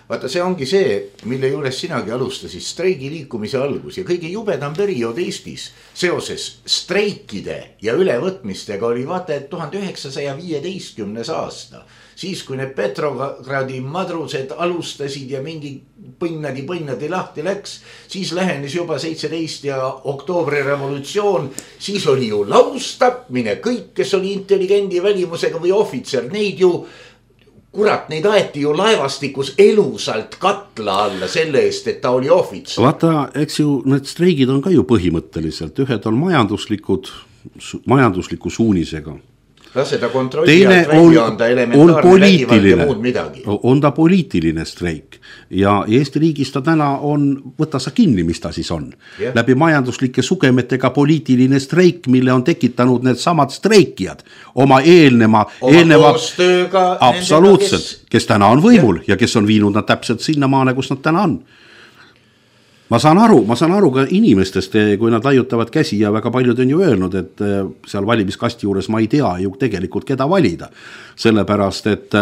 Vaata, see ongi see, mille juures sinagi alustasid streigi liikumise algus ja kõige jubedam periood Eestis seoses streikide ja ülevõtmistega oli vaata, et tuhande üheksasaja viieteistkümnes aasta. Siis kui need Petrogradi madrused alustasid ja mingi põnnadi põnnadi lahti läks, siis lähenes juba seitseteist ja oktoobri revolutsioon, siis oli ju laustapmine, kõik, kes oli intelligendi välimusega või ohvitser, neid ju kurat, neid aeti ju laevastikus elusalt katla alla selle eest, et ta oli ohvits. Vaata, eks ju, need streigid on ka ju põhimõtteliselt, ühed on majanduslikud, majandusliku suunisega. lase ta kontrolli alt välja, on ta elementaarne vägivald ja muud midagi. On ta poliitiline streik ja Eesti riigis ta täna on, võta sa kinni, mis ta siis on. Yeah. Läbi majanduslike sugemetega poliitiline streik, mille on tekitanud need samad streikijad oma eelneva, oma eelneva koostööga absoluutselt, kes... kes täna on võimul yeah. ja kes on viinud nad täpselt sinna maale, kus nad täna on. Ma saan aru, ma saan aru ka inimestest, kui nad laiutavad käsi ja väga paljud on ju öelnud, et seal valimiskasti juures ma ei tea ju tegelikult keda valida. Sellepärast, et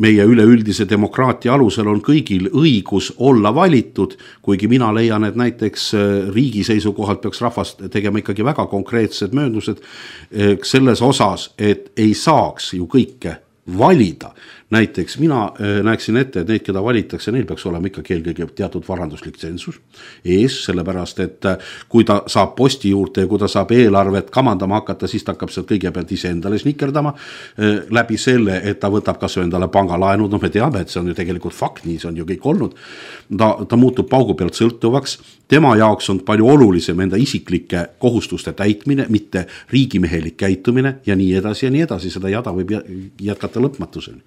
meie üleüldise demokraatia alusel on kõigil õigus olla valitud, kuigi mina leian, et näiteks riigi seisukohalt peaks rahvas tegema ikkagi väga konkreetsed mööndused selles osas, et ei saaks ju kõike valida. Näiteks mina näeksin ette, et neid, keda valitakse, neil peaks olema ikkagi eelkõige teatud varanduslik tsensus ees, sellepärast, et kui ta saab posti juurde ja kui ta saab eelarvet kamandama hakata, siis ta hakkab sealt kõigepealt ise endale snikerdama läbi selle, et ta võtab kas endale pangalaenud, no me teame, et see on ju tegelikult fakt, nii see on ju kõik olnud. Ta, ta muutub paugu pealt sõltuvaks, tema jaoks on palju olulisem enda isiklike kohustuste täitmine, mitte riigimehelik käitumine ja nii edasi ja nii edasi, seda jada võib jätkata lõpmatuseni.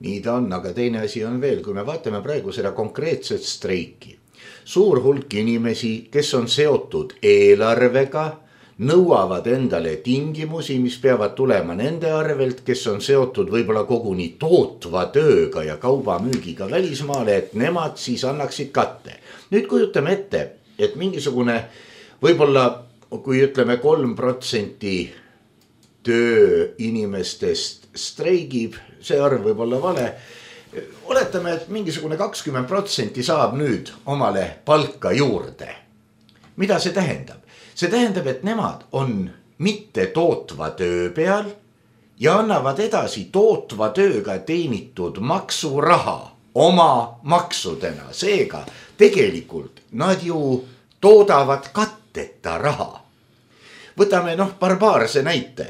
Nii ta on, aga teine asi on veel, kui me vaatame praegu seda konkreetset streiki. Suur hulk inimesi, kes on seotud eelarvega, nõuavad endale tingimusi, mis peavad tulema nende arvelt, kes on seotud võib-olla koguni tootva tööga ja kaubamüügiga välismaale, et nemad siis annaksid katte. Nüüd kujutame ette, et mingisugune võib-olla, kui ütleme kolm protsenti töö inimestest streigib, see arv võib olla vale. Oletame, et mingisugune kakskümmend protsenti saab nüüd omale palka juurde. Mida see tähendab? See tähendab, et nemad on mitte tootva töö peal ja annavad edasi tootva tööga teenitud maksuraha oma maksudena. Seega tegelikult nad ju toodavad katteta raha. Võtame noh barbaarse näite.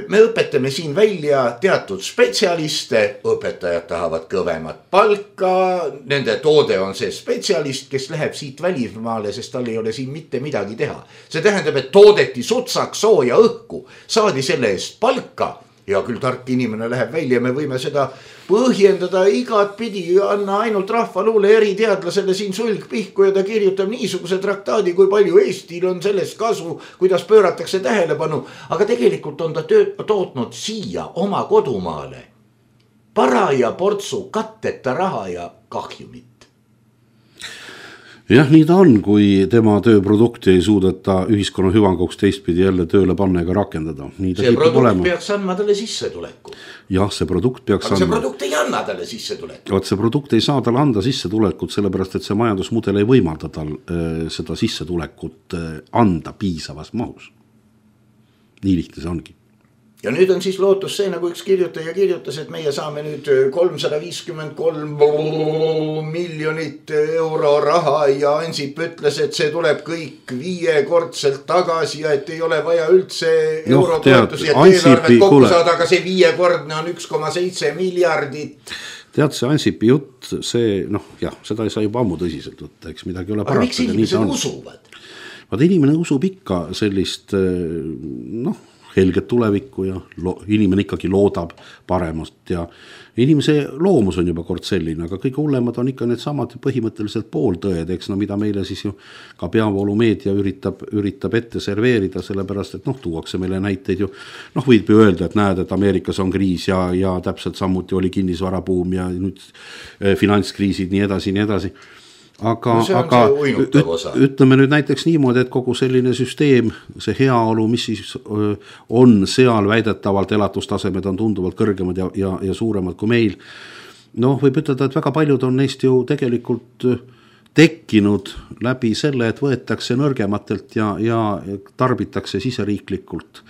Me õpetame siin välja teatud spetsialiste, õpetajad tahavad kõvemat palka, nende toode on see spetsialist, kes läheb siit välismaale, sest tal ei ole siin mitte midagi teha. See tähendab, et toodeti sutsak sooja õhku, saadi selle eest palka ja küll tark inimene läheb välja, me võime seda põhjendada igat pidi, anna ainult rahvaluule eriteadlasele siin sulg pihku ja ta kirjutab niisuguse traktaadi, kui palju Eestil on sellest kasu, kuidas pööratakse tähelepanu, aga tegelikult on ta töö, tootnud siia oma kodumaale paraja portsu katteta raha ja kahjumit. Jah, nii ta on, kui tema tööprodukti ei suudeta ühiskonna hüvanguks teistpidi jälle tööle panna ega rakendada. Nii ta see produkt olema. Peaks andma talle sissetuleku. Jah, see produkt peaks aga see andma. produkt ei anna talle sissetulekut. Vaat see produkt ei saa talle anda sissetulekut, sellepärast et see majandusmudel ei võimalda tal äh, seda sissetulekut äh, anda piisavas mahus. Nii lihtne see ongi. Ja nüüd on siis lootus see, nagu üks kirjutaja kirjutas, et meie saame nüüd kolmsada viiskümmend kolm miljonit euro raha ja Ansip ütles, et see tuleb kõik viiekordselt tagasi ja et ei ole vaja üldse no, eurotoetusi, et eelarvet kokku saada, aga see viiekordne on üks koma seitse miljardit. Tead, see Ansipi jutt, see, noh, jah, seda ei saa juba ammu tõsiselt võtta, eks midagi ole parata. Aga miks inimesed usuvad? Vaat inimene usub ikka sellist, noh, helget tulevikku ja lo, inimene ikkagi loodab paremast ja inimese loomus on juba kord selline, aga kõige hullemad on ikka need samad põhimõtteliselt pooltõed, eks no mida meile siis ju ka peavoolumeedia üritab, üritab ette serveerida, sellepärast et noh, tuuakse meile näiteid ju, noh võib ju öelda, et näed, et Ameerikas on kriis ja, ja täpselt samuti oli kinnisvarabuum ja nüüd finantskriisid nii edasi, nii edasi. Aga, no aga üt, ütleme nüüd näiteks niimoodi, et kogu selline süsteem, see heaolu, mis siis on seal väidetavalt elatustasemed on tunduvalt kõrgemad ja, ja, ja suuremad kui meil. Noh, võib ütelda, et väga paljud on neist ju tegelikult tekkinud läbi selle, et võetakse nõrgematelt ja, ja tarbitakse siseriiklikult.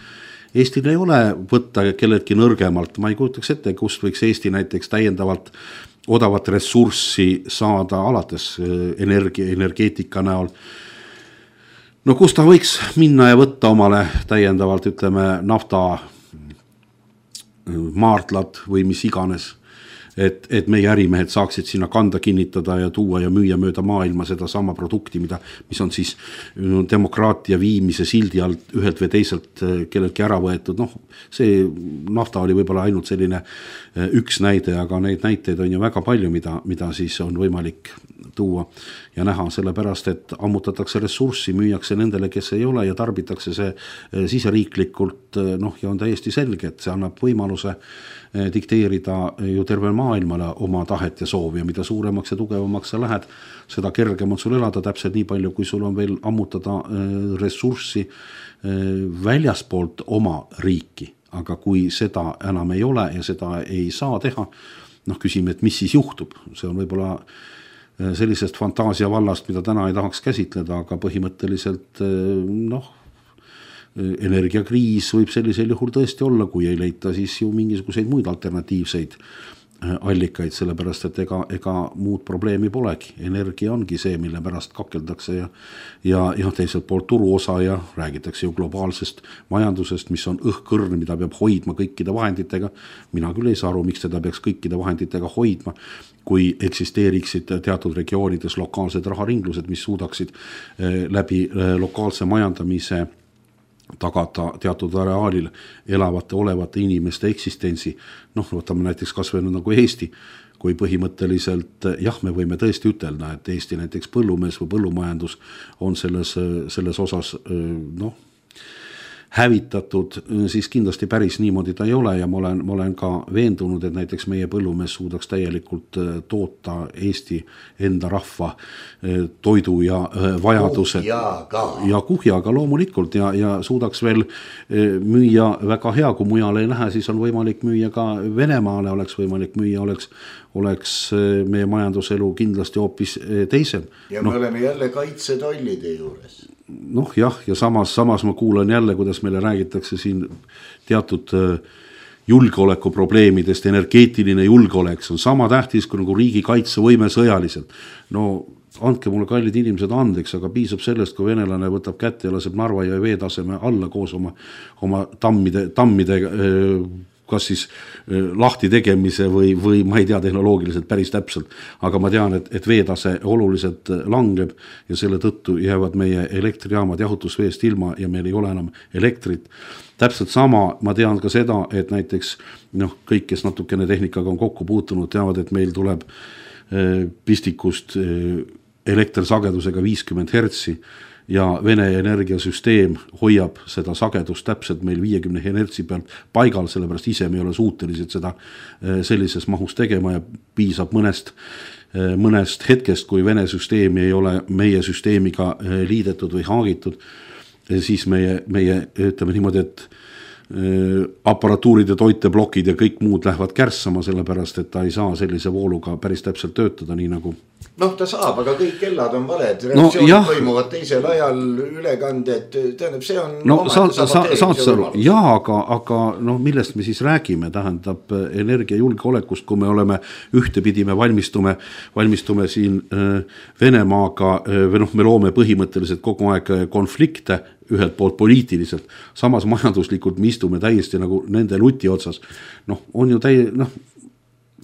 Eestil ei ole võtta kelleltki nõrgemalt, ma ei kujutaks ette, kust võiks Eesti näiteks täiendavalt odavat ressurssi saada alates energia, energeetika näol. No kus ta võiks minna ja võtta omale täiendavalt, ütleme, nafta maardlad või mis iganes. et, et meie ärimehed saaksid sinna kanda kinnitada ja tuua ja müüa mööda maailma seda sama produkti, mida, mis on siis demokraatia viimise sildi alt ühelt või teiselt kelleltki ära võetud. Noh, see nafta oli võib-olla ainult selline üks näide, aga neid näiteid on ju väga palju, mida, mida siis on võimalik tuua ja näha, sellepärast, et ammutatakse ressurssi, müüakse nendele, kes ei ole ja tarbitakse see siseriiklikult, noh, ja on täiesti selge, et see annab võimaluse dikteerida ju terve maailmale oma tahet ja soovi ja mida suuremaks ja tugevamaks sa lähed, seda kergem on sul elada täpselt nii palju, kui sul on veel ammutada ressurssi väljaspoolt oma riiki, aga kui seda enam ei ole ja seda ei saa teha, noh, küsime, et mis siis juhtub, see on võib-olla sellisest fantaasia vallast, mida täna ei tahaks käsitleda, aga põhimõtteliselt noh, energiakriis võib sellisel juhul tõesti olla, kui ei leita siis ju mingisuguseid muid alternatiivseid allikaid, sellepärast, et ega, ega muud probleemi polegi. Energia ongi see, mille pärast kakeldakse ja, ja, ja teiselt poolt turuosa ja räägitakse ju globaalsest majandusest, mis on õhkõrn, mida peab hoidma kõikide vahenditega. Mina küll ei saa aru, miks teda peaks kõikide vahenditega hoidma, kui eksisteeriksid teatud regioonides lokaalsed raharinglused, mis suudaksid läbi lokaalse majandamise tagada teatud areaalil elavate olevate inimeste eksistentsi. Noh, võtame näiteks kas või nagu Eesti, kui põhimõtteliselt, jah, me võime tõesti ütelda, et Eesti näiteks põllumees või põllumajandus on selles, selles osas, noh, hävitatud, siis kindlasti päris niimoodi ta ei ole ja ma olen, ma olen ka veendunud, et näiteks meie põllumees suudaks täielikult toota Eesti enda rahva toidu ja vajadused kuhjaga. ja kuhjaga loomulikult ja, ja suudaks veel müüa väga hea, kui mujale ei lähe, siis on võimalik müüa ka Venemaale, oleks võimalik müüa, oleks, oleks meie majanduselu kindlasti hoopis teisem. Ja me no, oleme jälle kaitsetollide juures. Noh jah, ja samas, samas ma kuulan jälle, kuidas meile räägitakse siin teatud julgeoleku probleemidest, energeetiline julgeolek, see on sama tähtis kui nagu riigi kaitsevõime sõjaliselt. No andke mulle kallid inimesed andeks, aga piisab sellest, kui venelane võtab kätte ja laseb Narva ja veetaseme alla koos oma, oma tammide, tammide kas siis lahti tegemise või, või ma ei tea tehnoloogiliselt päris täpselt, aga ma tean, et, et veetase oluliselt langeb ja selle tõttu jäävad meie elektrijaamad jahutusveest ilma ja meil ei ole enam elektrit. Täpselt sama, ma tean ka seda, et näiteks noh, kõik, kes natukene tehnikaga on kokku puutunud, teavad, et meil tuleb pistikust elektrisagedusega viiskümmend hertsi ja Vene energiasüsteem hoiab seda sagedust täpselt meil viiekümne hertsi pealt paigal, sellepärast ise me ei ole suutelised seda sellises mahus tegema ja piisab mõnest, mõnest hetkest, kui Vene süsteemi ei ole meie süsteemiga liidetud või haagitud, siis meie, meie ütleme niimoodi, et aparatuurid ja toiteblokid ja kõik muud lähevad kärssama, sellepärast, et ta ei saa sellise vooluga päris täpselt töötada, nii nagu noh, ta saab, aga kõik kellad on valed, reaktsioonid no, toimuvad teisel ajal, ülekanded, tähendab, see on no sa, sa, saad sa aru, jaa, aga, aga noh, millest me siis räägime, tähendab energiajulgeolekust, kui me oleme ühtepidi, me valmistume, valmistume siin Venemaaga, või noh, me loome põhimõtteliselt kogu aeg konflikte, ühelt poolt poliitiliselt, samas majanduslikult me istume täiesti nagu nende luti otsas. Noh, on ju täi, noh,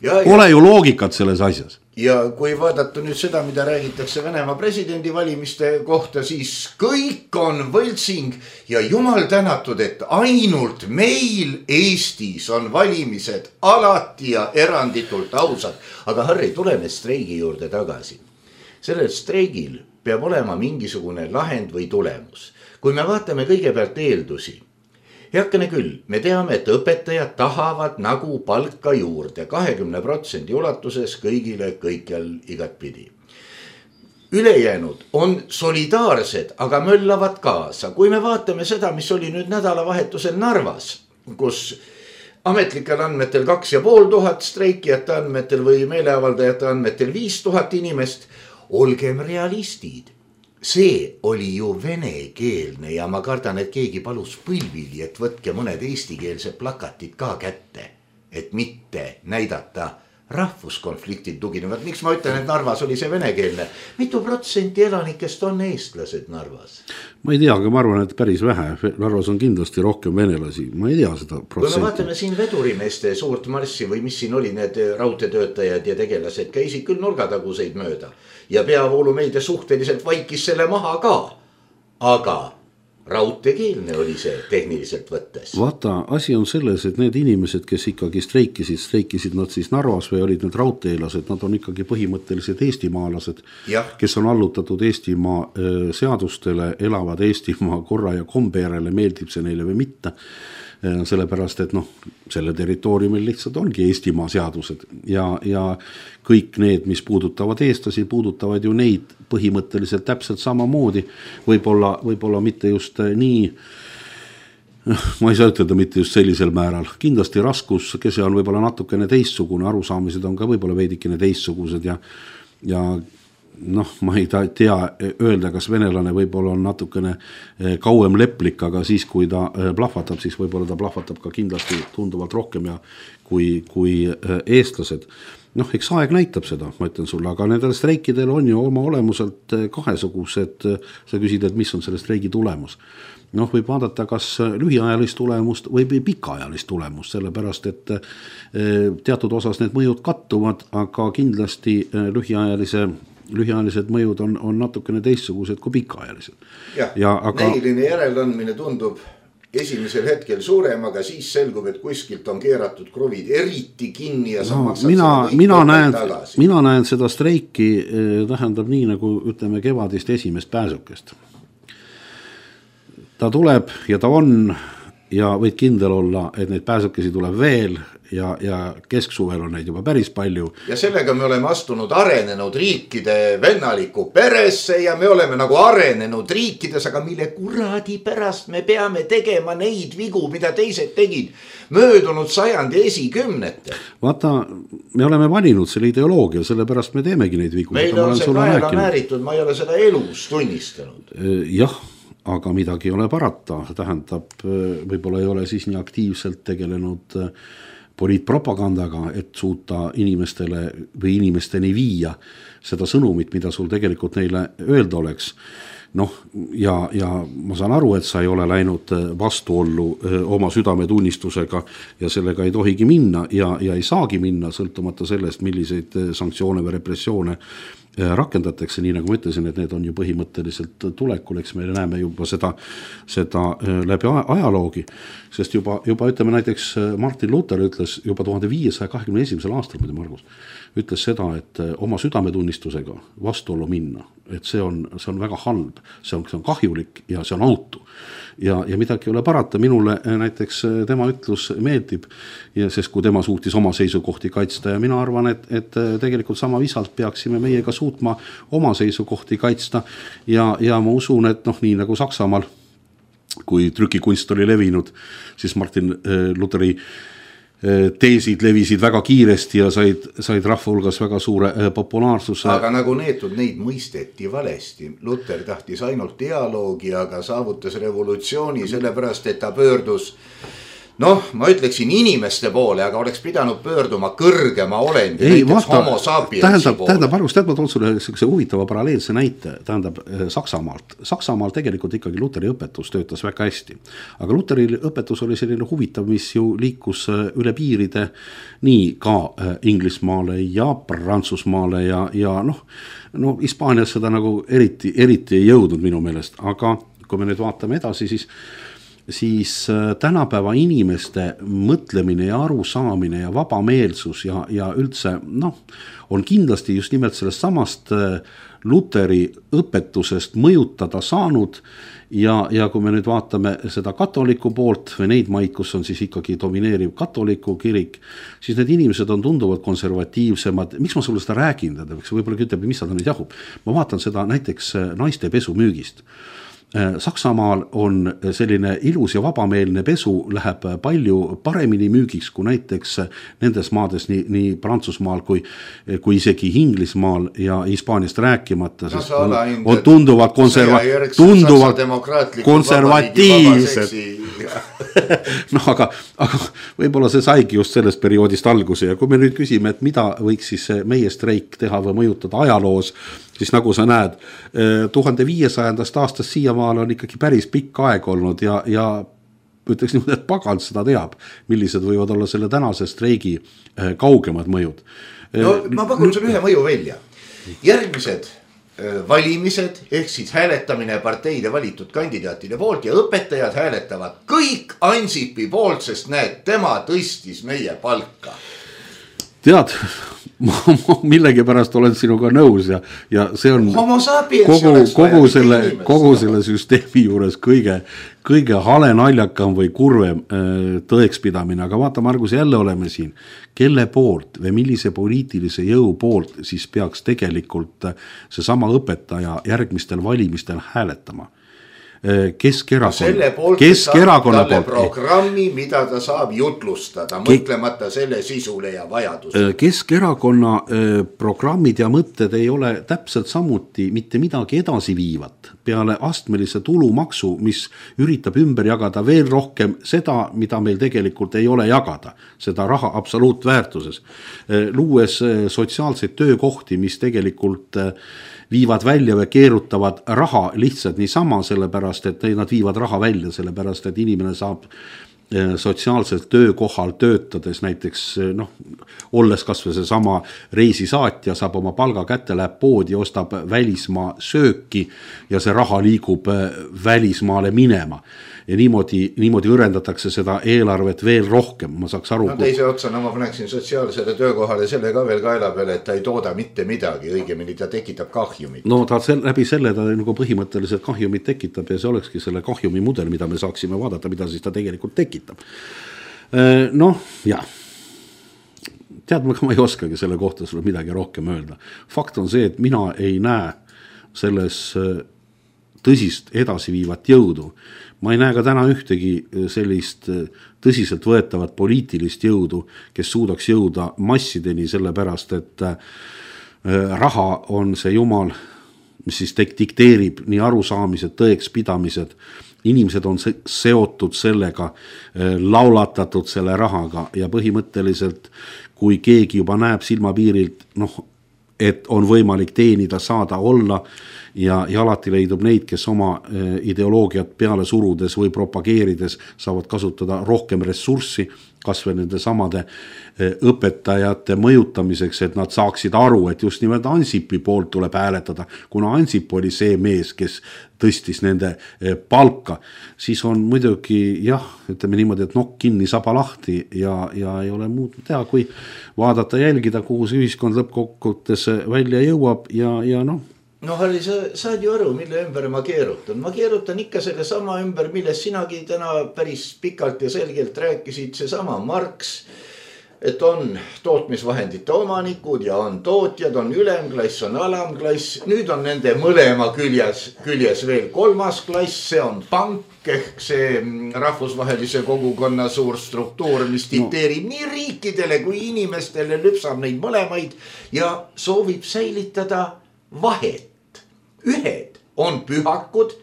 ja, pole ja. ju loogikat selles asjas. Ja kui vaadata nüüd seda, mida räägitakse Venemaa presidendi valimiste kohta, siis kõik on võltsing ja jumal tänatud, et ainult meil Eestis on valimised alati ja eranditult ausad. Aga Harri, tuleme streigi juurde tagasi. Sellel streigil peab olema mingisugune lahend või tulemus. Kui me vaatame kõigepealt eeldusi, heakene küll, me teame, et õpetajad tahavad nagu palka juurde kahekümne protsendi ulatuses kõigile kõikjal igatpidi. Ülejäänud on solidaarsed, aga möllavad kaasa. Kui me vaatame seda, mis oli nüüd nädalavahetusel Narvas, kus ametlikel andmetel kaks ja pool tuhat streikijate andmetel või meeleavaldajate andmetel viis tuhat inimest, olgem realistid. See oli ju venekeelne ja ma kardan, et keegi palus põlvili, et võtke mõned eestikeelse plakatid ka kätte, et mitte näidata rahvuskonfliktid tuginevad, miks ma ütlen, et Narvas oli see venekeelne, mitu protsenti elanikest on eestlased Narvas? Ma ei tea, aga ma arvan, et päris vähe, Narvas on kindlasti rohkem venelasi, ma ei tea seda protsenti. Kui me vaatame siin vedurimeeste suurt marssi või mis siin oli, need raudteetöötajad ja tegelased käisid küll nurgataguseid mööda ja peavoolumeedia suhteliselt vaikis selle maha ka, aga raudteekeelne oli see tehniliselt võttes. Vaata, asi on selles, et need inimesed, kes ikkagi streikisid, streikisid nad siis Narvas või olid need raudteelased, nad on ikkagi põhimõtteliselt eestimaalased, ja. kes on allutatud Eestimaa seadustele, elavad Eestimaa korra ja kombe järele, meeldib see neile või mitte. Sellepärast, et noh, selle territooriumil lihtsalt ongi Eestimaa seadused ja, ja kõik need, mis puudutavad eestlasi, puudutavad ju neid põhimõtteliselt täpselt samamoodi, võib-olla, võib-olla mitte just nii, ma ei saa ütelda mitte just sellisel määral, kindlasti raskus, kese on võib-olla natukene teistsugune, arusaamised on ka võib-olla veidikene teistsugused ja, ja noh, ma ei tea öelda, kas venelane võib-olla on natukene kauem leplik, aga siis, kui ta plahvatab, siis võib-olla ta plahvatab ka kindlasti tunduvalt rohkem ja kui, kui eestlased. Noh, eks aeg näitab seda, ma ütlen sulle, aga nendel streikidel on ju oma olemuselt kahesugused, sa küsid, et mis on selle streigi tulemus. Noh, võib vaadata kas lühiajalist tulemust või pikaajalist tulemust, sellepärast, et teatud osas need mõjud kattuvad, aga kindlasti lühiajalise lühiajalised mõjud on, on natukene teistsugused kui pikaajalised. Jah, ja, aga... näiline järeleandmine tundub esimesel hetkel suurem, aga siis selgub, et kuskilt on keeratud kruvid eriti kinni ja sa no, maksad mina, mina, näen, mina näen seda streiki tähendab nii, nagu ütleme kevadist esimest pääsukest. Ta tuleb ja ta on ja võid kindel olla, et neid pääsukesi tuleb veel ja, ja kesksuvel on neid juba päris palju. Ja sellega me oleme astunud arenenud riikide vennaliku peresse ja me oleme nagu arenenud riikides, aga mille kuradi pärast me peame tegema neid vigu, mida teised tegid möödunud sajandi esikümnete. Vaata, me oleme valinud selle ideoloogia, sellepärast me teemegi neid vigu. Meil on see kaela määritud, ma ei ole seda elus tunnistanud. Jah, aga midagi ei ole parata, tähendab, võib-olla ei ole siis nii aktiivselt tegelenud poliitpropagandaga, et suuta inimestele või inimesteni viia seda sõnumit, mida sul tegelikult neile öelda oleks. Noh, ja, ja ma saan aru, et sa ei ole läinud vastuollu oma südametunnistusega ja sellega ei tohigi minna ja, ja ei saagi minna sõltumata sellest, milliseid sanktsioone või repressioone rakendatakse, nii nagu ma ütlesin, et need on ju põhimõtteliselt tulekul, eks me näeme juba seda, seda läbi ajaloogi, sest juba, juba ütleme näiteks Martin Luther ütles juba tuhande viiesaja kahekümne esimesel aastal, Margus, ütles seda, et oma südametunnistusega vastuollu minna, et see on, see on väga halb, see on, see on kahjulik ja see on autu. Ja, ja midagi ei ole parata, minule näiteks tema ütlus meeldib, ja sest kui tema suutis oma seisukohti kaitsta ja mina arvan, et, et tegelikult sama visalt peaksime meiega suutma oma seisukohti kaitsta ja, ja ma usun, et noh, nii nagu Saksamaal, kui trükikunst oli levinud, siis Martin Lutheri teesid levisid väga kiiresti ja said, said rahva hulgas väga suure populaarsuse. Aga nagu neetud, neid mõisteti valesti. Luther tahtis ainult dialoogi, aga saavutas revolutsiooni sellepärast, et ta pöördus, noh, ma ütleksin inimeste poole, aga oleks pidanud pöörduma kõrgema olendi, ei, näiteks vaata, homo sapiensi tähendab, poole. Tähendab, Margus, tead, ma toon sulle sellise huvitava paralleelse näite, tähendab Saksamaalt. Saksamaal tegelikult ikkagi Lutheri õpetus töötas väga hästi. Aga Lutheri õpetus oli selline huvitav, mis ju liikus üle piiride nii ka Inglismaale ja Prantsusmaale ja, ja noh, no Hispaanias seda nagu eriti, eriti ei jõudnud minu meelest, aga kui me nüüd vaatame edasi, siis siis tänapäeva inimeste mõtlemine ja arusaamine ja vabameelsus ja, ja üldse noh, on kindlasti just nimelt sellest samast Lutheri õpetusest mõjutada saanud ja, ja kui me nüüd vaatame seda katoliku poolt või neid maid, kus on siis ikkagi domineeriv katoliku kirik, siis need inimesed on tunduvalt konservatiivsemad. Miks ma sulle seda räägin? Võib-olla ütleb, mis seda nüüd jahub. Ma vaatan seda näiteks naiste pesumüügist. Saksamaal on selline ilus ja vabameelne pesu läheb palju paremini müügiks kui näiteks nendes maades, nii, nii Prantsusmaal kui, kui isegi Inglismaal ja Hispaaniast rääkimata, no, sest on, on tunduvalt, konserva, tunduvalt konservatiivsed. No aga, aga võib-olla see saigi just sellest perioodist alguse ja kui me nüüd küsime, et mida võiks siis meie streik teha või mõjutada ajaloos, siis nagu sa näed, tuhande viiesajandast aastast siiamaal on ikkagi päris pikk aeg olnud ja, ja ütleks niimoodi, et pagant seda teab, millised võivad olla selle tänase streigi kaugemad mõjud. No ma pakun sulle ühe mõju välja. Järgmised valimised ehk siis hääletamine parteide valitud kandidaatide poolt ja õpetajad hääletavad kõik Ansipi poolt, sest näed, tema tõstis meie palka. Tead, ma, ma millegi pärast olen sinuga nõus ja, ja see on kogu, kogu, selle, kogu selle süsteemi juures kõige, kõige hale naljakam või kurvem tõekspidamine, aga vaata, Margus, jälle oleme siin, kelle poolt või millise poliitilise jõu poolt siis peaks tegelikult see sama õpetaja järgmistel valimistel hääletama. Keskerakonna, Keskerakonna poolt programmi, mida ta saab jutlustada, mõtlemata selle sisule ja vajadusele. Keskerakonna programmid ja mõtted ei ole täpselt samuti mitte midagi edasi viivat peale astmelise tulumaksu, mis üritab ümber jagada veel rohkem seda, mida meil tegelikult ei ole jagada, seda raha absoluutväärtuses, luues sotsiaalseid töökohti, mis tegelikult viivad välja või keerutavad raha lihtsalt niisama, sellepärast, et nad viivad raha välja, sellepärast, et inimene saab sotsiaalselt töökohal töötades näiteks, noh, olles kas või see sama reisisaatja, saab oma palga kätte, läheb poodi, ostab välismaa sööki ja see raha liigub välismaale minema. Ja niimoodi, niimoodi õrendatakse seda eelarvet veel rohkem, ma saaks aru. No teise otsa, no ma paneksin sotsiaalsele töökohale selle ka veel kaela peale, et ta ei tooda mitte midagi, õigemini ta tekitab kahjumit. No ta sel, läbi selle ta nagu põhimõtteliselt kahjumit tekitab ja see olekski selle kahjumi mudel, mida me saaksime vaadata, mida siis ta tegelikult tekitab. Noh, jah. Tead, ma ei oskagi selle kohta sulle midagi rohkem öelda. Fakt on see, et mina ei näe selles tõsist edasiviivat jõudu. Ma ei näe ka täna ühtegi sellist tõsiselt võetavat poliitilist jõudu, kes suudaks jõuda massideni selle pärast, et raha on see jumal, mis siis dikteerib nii arusaamised, tõekspidamised. Inimesed on seotud sellega, laulatatud selle rahaga ja põhimõtteliselt, kui keegi juba näeb silmapiirilt, noh, et on võimalik teenida, saada, olla ja, ja alati leidub neid, kes oma ideoloogiat peale surudes või propageerides saavad kasutada rohkem ressurssi, kas või nende samade õpetajate mõjutamiseks, et nad saaksid aru, et just nimelt Ansipi poolt tuleb hääletada, kuna Ansip oli see mees, kes tõstis nende palka, siis on muidugi jah, ütleme niimoodi, et nokk kinni, saba lahti ja, ja ei ole muud teha, kui vaadata, jälgida, kuhu see ühiskond lõppkokkuvõttes välja jõuab ja, ja noh. No Harri, sa saad ju aru, mille ümber ma keerutan. Ma keerutan ikka selle sama ümber, milles sinagi täna päris pikalt ja selgelt rääkisid, see sama Marx, et on tootmisvahendite omanikud ja on tootjad, on ülemklass, on alamklass. Nüüd on nende mõlema küljes, küljes veel kolmas klass, see on pank ehk see rahvusvahelise kogukonna suur struktuur, mis dikteerib no. nii riikidele kui inimestele, lüpsab neid mõlemaid ja soovib säilitada vahet. Ühed on pühakud,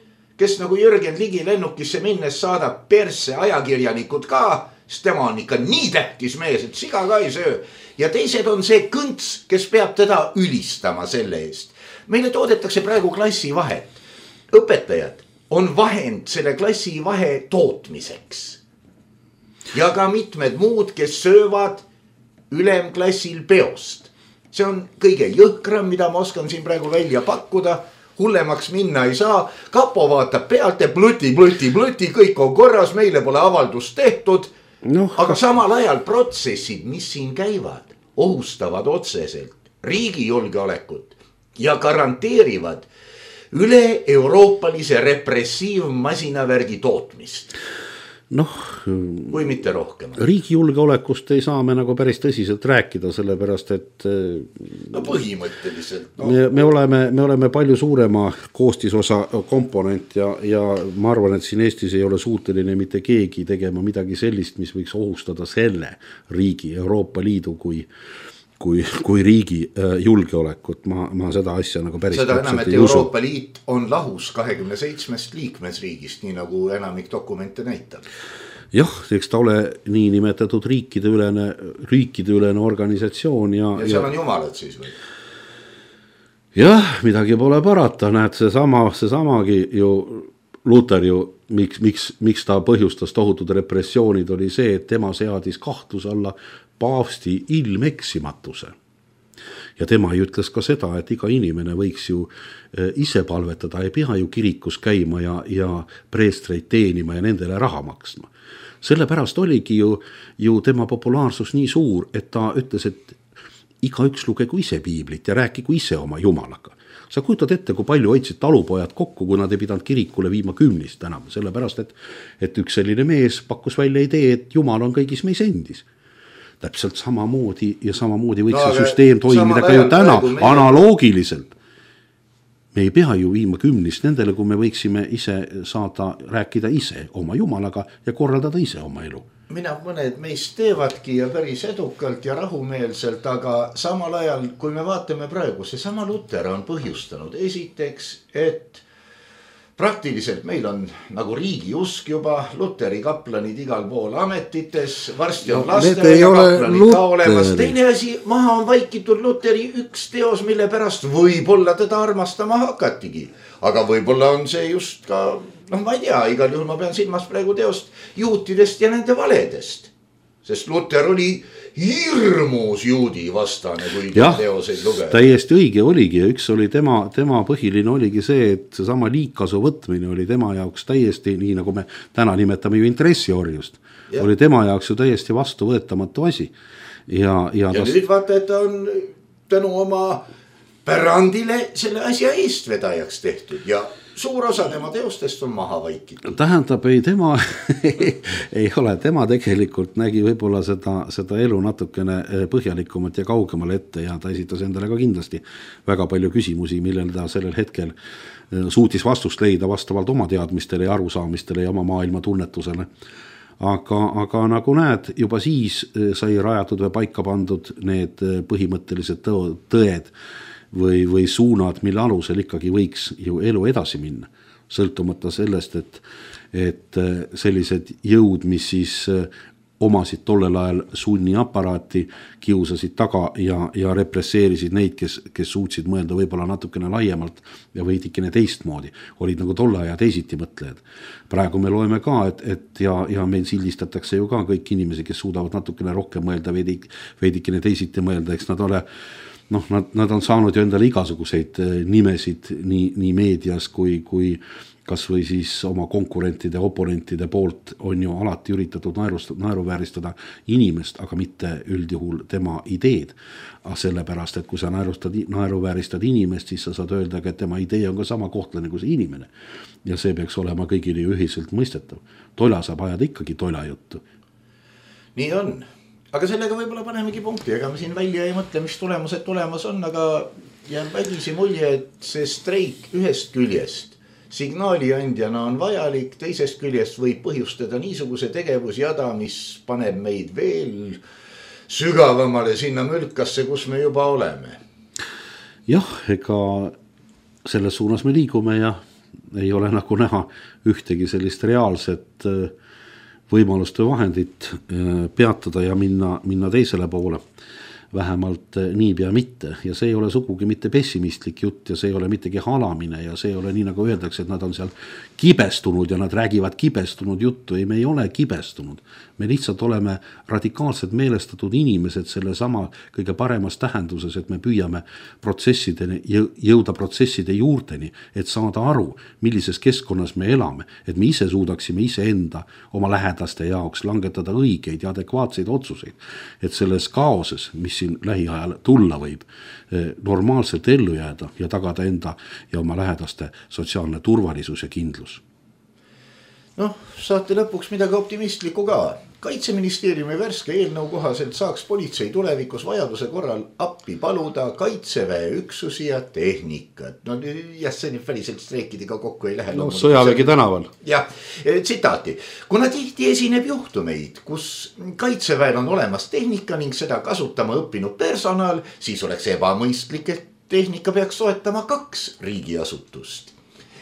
kes nagu Jürgen Ligi lennukisse minnes saadab persse ajakirjanikud ka, sest tema on ikka nii tähtis mees, et siga ka ei söö. Ja teised on see kõnts, kes peab teda ülistama selle eest. Meile toodetakse praegu klassivahet. Õpetajad on vahend selle klassivahe tootmiseks. Ja ka mitmed muud, kes söövad ülemklassil peost. See on kõige jõhkram, mida ma oskan siin praegu välja pakkuda. Hullemaks minna ei saa. Kapo vaatab pealt ja plõti, plõti, plõti, kõik on korras, meile pole avaldust tehtud. No. Aga samal ajal protsessid, mis siin käivad, ohustavad otseselt riigi julgeolekut ja garanteerivad üle euroopalise repressiivmasinavärgi tootmist. noh, või mitte rohkem? Riigi julgeolekust ei saa me nagu päris tõsiselt rääkida, sellepärast et no põhimõtteliselt no. me, me, oleme, me oleme palju suurema koostisosa komponent ja, ja ma arvan, et siin Eestis ei ole suuteline mitte keegi tegema midagi sellist, mis võiks ohustada selle riigi, Euroopa Liidu kui kui, kui riigi julgeolekut, ma, ma seda asja nagu päris seda enam, et Euroopa Liit on lahus kahekümne seitsmest liikmesriigist, nii nagu enamik dokumente näitab. Jah, eks ta ole nii nimetatud riikide ülene, riikide ülene organisatsioon ja, ja seal on jumalad siis või? Jah, midagi pole parata, näed, see sama, see samagi ju Luther ju, miks, miks, miks ta põhjustas tohutud repressioonid, oli see, et tema seadis kahtluse alla paavsti ilmeksimatuse. Ja tema ju ütles ka seda, et iga inimene võiks ju ise palvetada, ei pea ju kirikus käima ja, ja preestreid teenima ja nendele raha maksma. Sellepärast oligi ju, ju tema populaarsus nii suur, et ta ütles, et igaüks lugegu ise piiblit ja rääkigu ise oma jumalaga. Sa kujutad ette, kui palju hoidsid talupojad kokku, kui nad ei pidanud kirikule viima kümnist enam, sellepärast, et, et üks selline mees pakkus välja idee, et jumal on kõigis meis endis. Täpselt samamoodi ja samamoodi võiks no, see süsteem toimida ka ju täna meie... analoogiliselt. Me ei pea ju viima kümnist nendele, kui me võiksime ise saada rääkida ise oma jumalaga ja korraldada ise oma elu. Mina mõned meist teevadki ja päris edukalt ja rahumeelselt, aga samal ajal, kui me vaatame praegu, see sama Luther on põhjustanud esiteks, et praktiliselt meil on nagu riigi usk juba, Lutheri kaplanid igal pool ametites, varsti on no, lastele ja kaplanid ka olemas. Teine asi, maha on vaikitud Lutheri üks teos, mille pärast võib-olla teda armastama hakatigi. Aga võib-olla on see just ka, noh ma ei tea, igal juhul ma pean silmas praegu teost juutidest ja nende valedest. Sest Luther oli hirmus juudi vastane, kui ja, teoseid lugeda. Täiesti õige oligi ja üks oli tema, tema põhiline oligi see, et see sama liigkasu võtmine oli tema jaoks täiesti, nii nagu me täna nimetame ju intressiorjust, ja. Oli tema jaoks ju täiesti vastuvõetamatu asi. Ja, ja, ja tas... nüüd vaata, et on tänu oma pärandile selle asja eestvedajaks tehtud ja suur osa tema teostest on maha vaikitud. Tähendab, ei tema ei ole, tema tegelikult nägi võib-olla seda, seda elu natukene põhjalikumalt ja kaugemale ette ja ta esitas endale ka kindlasti väga palju küsimusi, millel ta sellel hetkel suutis vastust leida vastavalt oma teadmistele ja arusaamistele ja oma maailma tunnetusele. Aga, aga nagu näed, juba siis sai rajatud või paika pandud need põhimõttelised tõed või, või suunad, mille alusel ikkagi võiks ju elu edasi minna. Sõltumata sellest, et, et sellised jõud, mis siis omasid tollel ajal sunniaparaati, kiusasid taga ja, ja represseerisid neid, kes, kes suutsid mõelda võib-olla natukene laiemalt ja veidikene teistmoodi. Olid nagu tolle aja teisiti mõtlejad. Praegu me loeme ka, et, et ja, ja meil sildistatakse ju ka kõik inimesi, kes suudavad natukene rohkem mõelda, veidik, veidikene teisiti mõelda, eks nad ole noh, nad, nad on saanud ju endale igasuguseid nimesid nii, nii meedias kui, kui kas või siis oma konkurentide, oponentide poolt on ju alati üritatud naeruvääristada inimest, aga mitte üldjuhul tema ideed. Sellepärast, et kui sa naerustad, naeruvääristad inimest, siis sa saad öelda, et tema idee on ka sama kohtlane kui see inimene. Ja see peaks olema kõigile ühiselt mõistetav. Tola saab ajada ikkagi tola juttu. Nii on. Aga sellega võib-olla panemegi punkti, ega me siin välja ei mõtle, mis tulemused tulemas on, aga jääb vägisi mulje, et see streik ühest küljest signaali andjana on vajalik, teisest küljest võib põhjustada niisuguse tegevusjada, mis paneb meid veel sügavamale sinna mülkasse, kus me juba oleme. Jah, ega selles suunas me liigume ja ei ole nagu näha ühtegi sellist reaalset võimalust või vahendit peatada ja minna, minna teisele poole. Vähemalt nii pea mitte ja see ei ole sugugi mitte pessimistlik jutt ja see ei ole mittegi halamine ja see ei ole nii nagu öeldakse, et nad on seal kibestunud ja nad räägivad kibestunud juttu. Ei, me ei ole kibestunud. Me lihtsalt oleme radikaalselt meelestatud inimesed selle sama kõige paremas tähenduses, et me püüame protsessideni, jõuda protsesside juurteni, et saada aru, millises keskkonnas me elame, et me ise suudaksime ise enda oma lähedaste jaoks langetada õigeid ja adekvaatseid otsuseid, et selles kaoses, mis siin lähiajal tulla võib, normaalselt ellu jääda ja tagada enda ja oma lähedaste sotsiaalne turvalisus ja kindlus. noh, saate lõpuks midagi optimistlikku ka. Kaitseministeeriumi värske eelnõu kohaselt saaks politsei tulevikus vajaduse korral appi paluda kaitseväe üksusi ja tehnikat. No jah, see nüüd väliselt streikidega kokku ei lähe. No sõjavägi tänaval. Jah, tsitaati. Kuna tihti esineb juhtumeid, kus kaitseväel on olemas tehnika ning seda kasutama õppinud personal, siis oleks ebamõistlik, et tehnika peaks soetama kaks riigiasutust.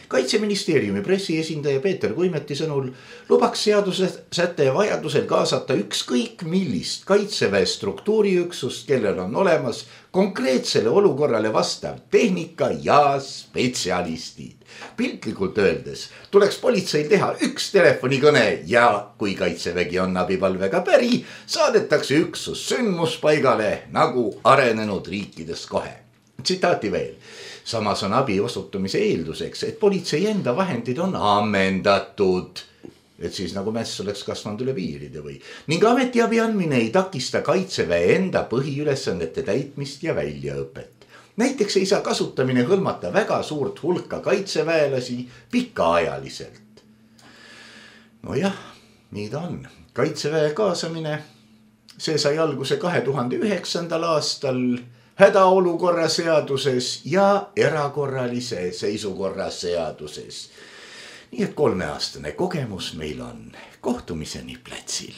Kaitseministeeriumi pressiesindaja Peeter Kuimeti sõnul lubaks seaduse säte vajadusel kaasata ükskõik millist kaitseväe struktuuriüksust, kellel on olemas konkreetsele olukorrale vastav tehnika ja spetsialistid. Piltlikult öeldes tuleks politseil teha üks telefonikõne ja kui kaitsevägi on abipalvega päri, saadetakse üksus sündmuspaigale nagu arenenud riikides kohe. Tsitaati veel. Samas on abi osutumise eelduseks, et politsei enda vahendid on ammendatud, et siis nagu mäss oleks kasvanud üle piiride või. Ning ametiabi andmine ei takista kaitseväe enda põhiülesannete täitmist ja väljaõpet. Näiteks ei saa kasutamine hõlmata väga suurt hulka kaitseväelasi pikaajaliselt. No jah, nii ta on. Kaitseväe kaasamine, see sai alguse kahe tuhande üheksandal aastal hädaolukorra seaduses ja erakorralise seisukorra seaduses. Nii et kolmeaastane kogemus meil on. Kohtumiseni platsil.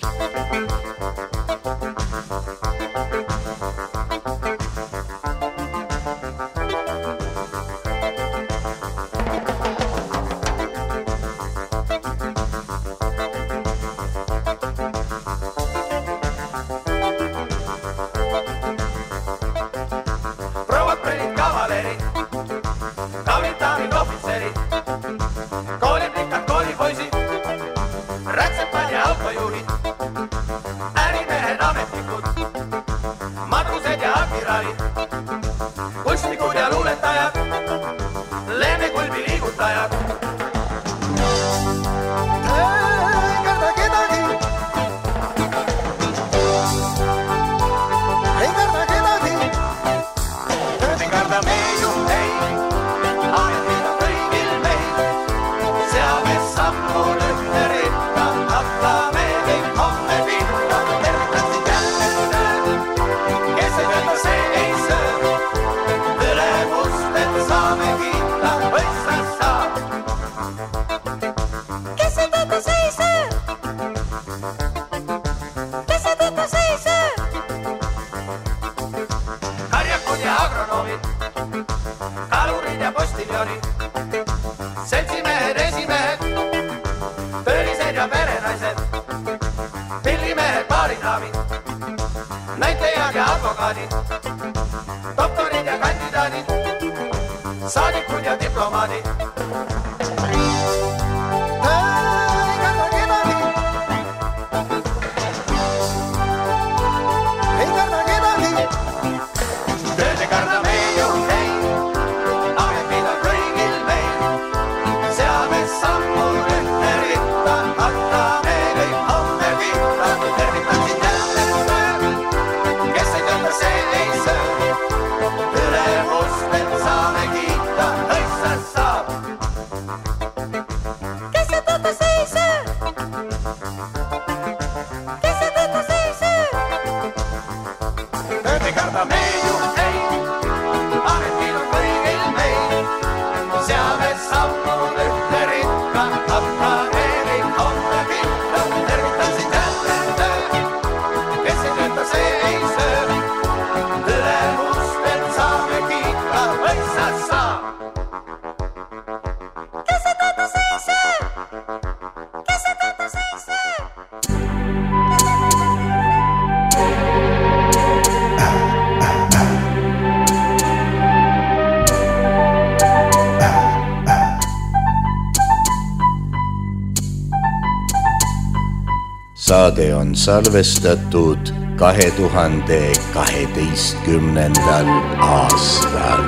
Saade on salvestatud kahe tuhande kaheteistkümnendal aastal.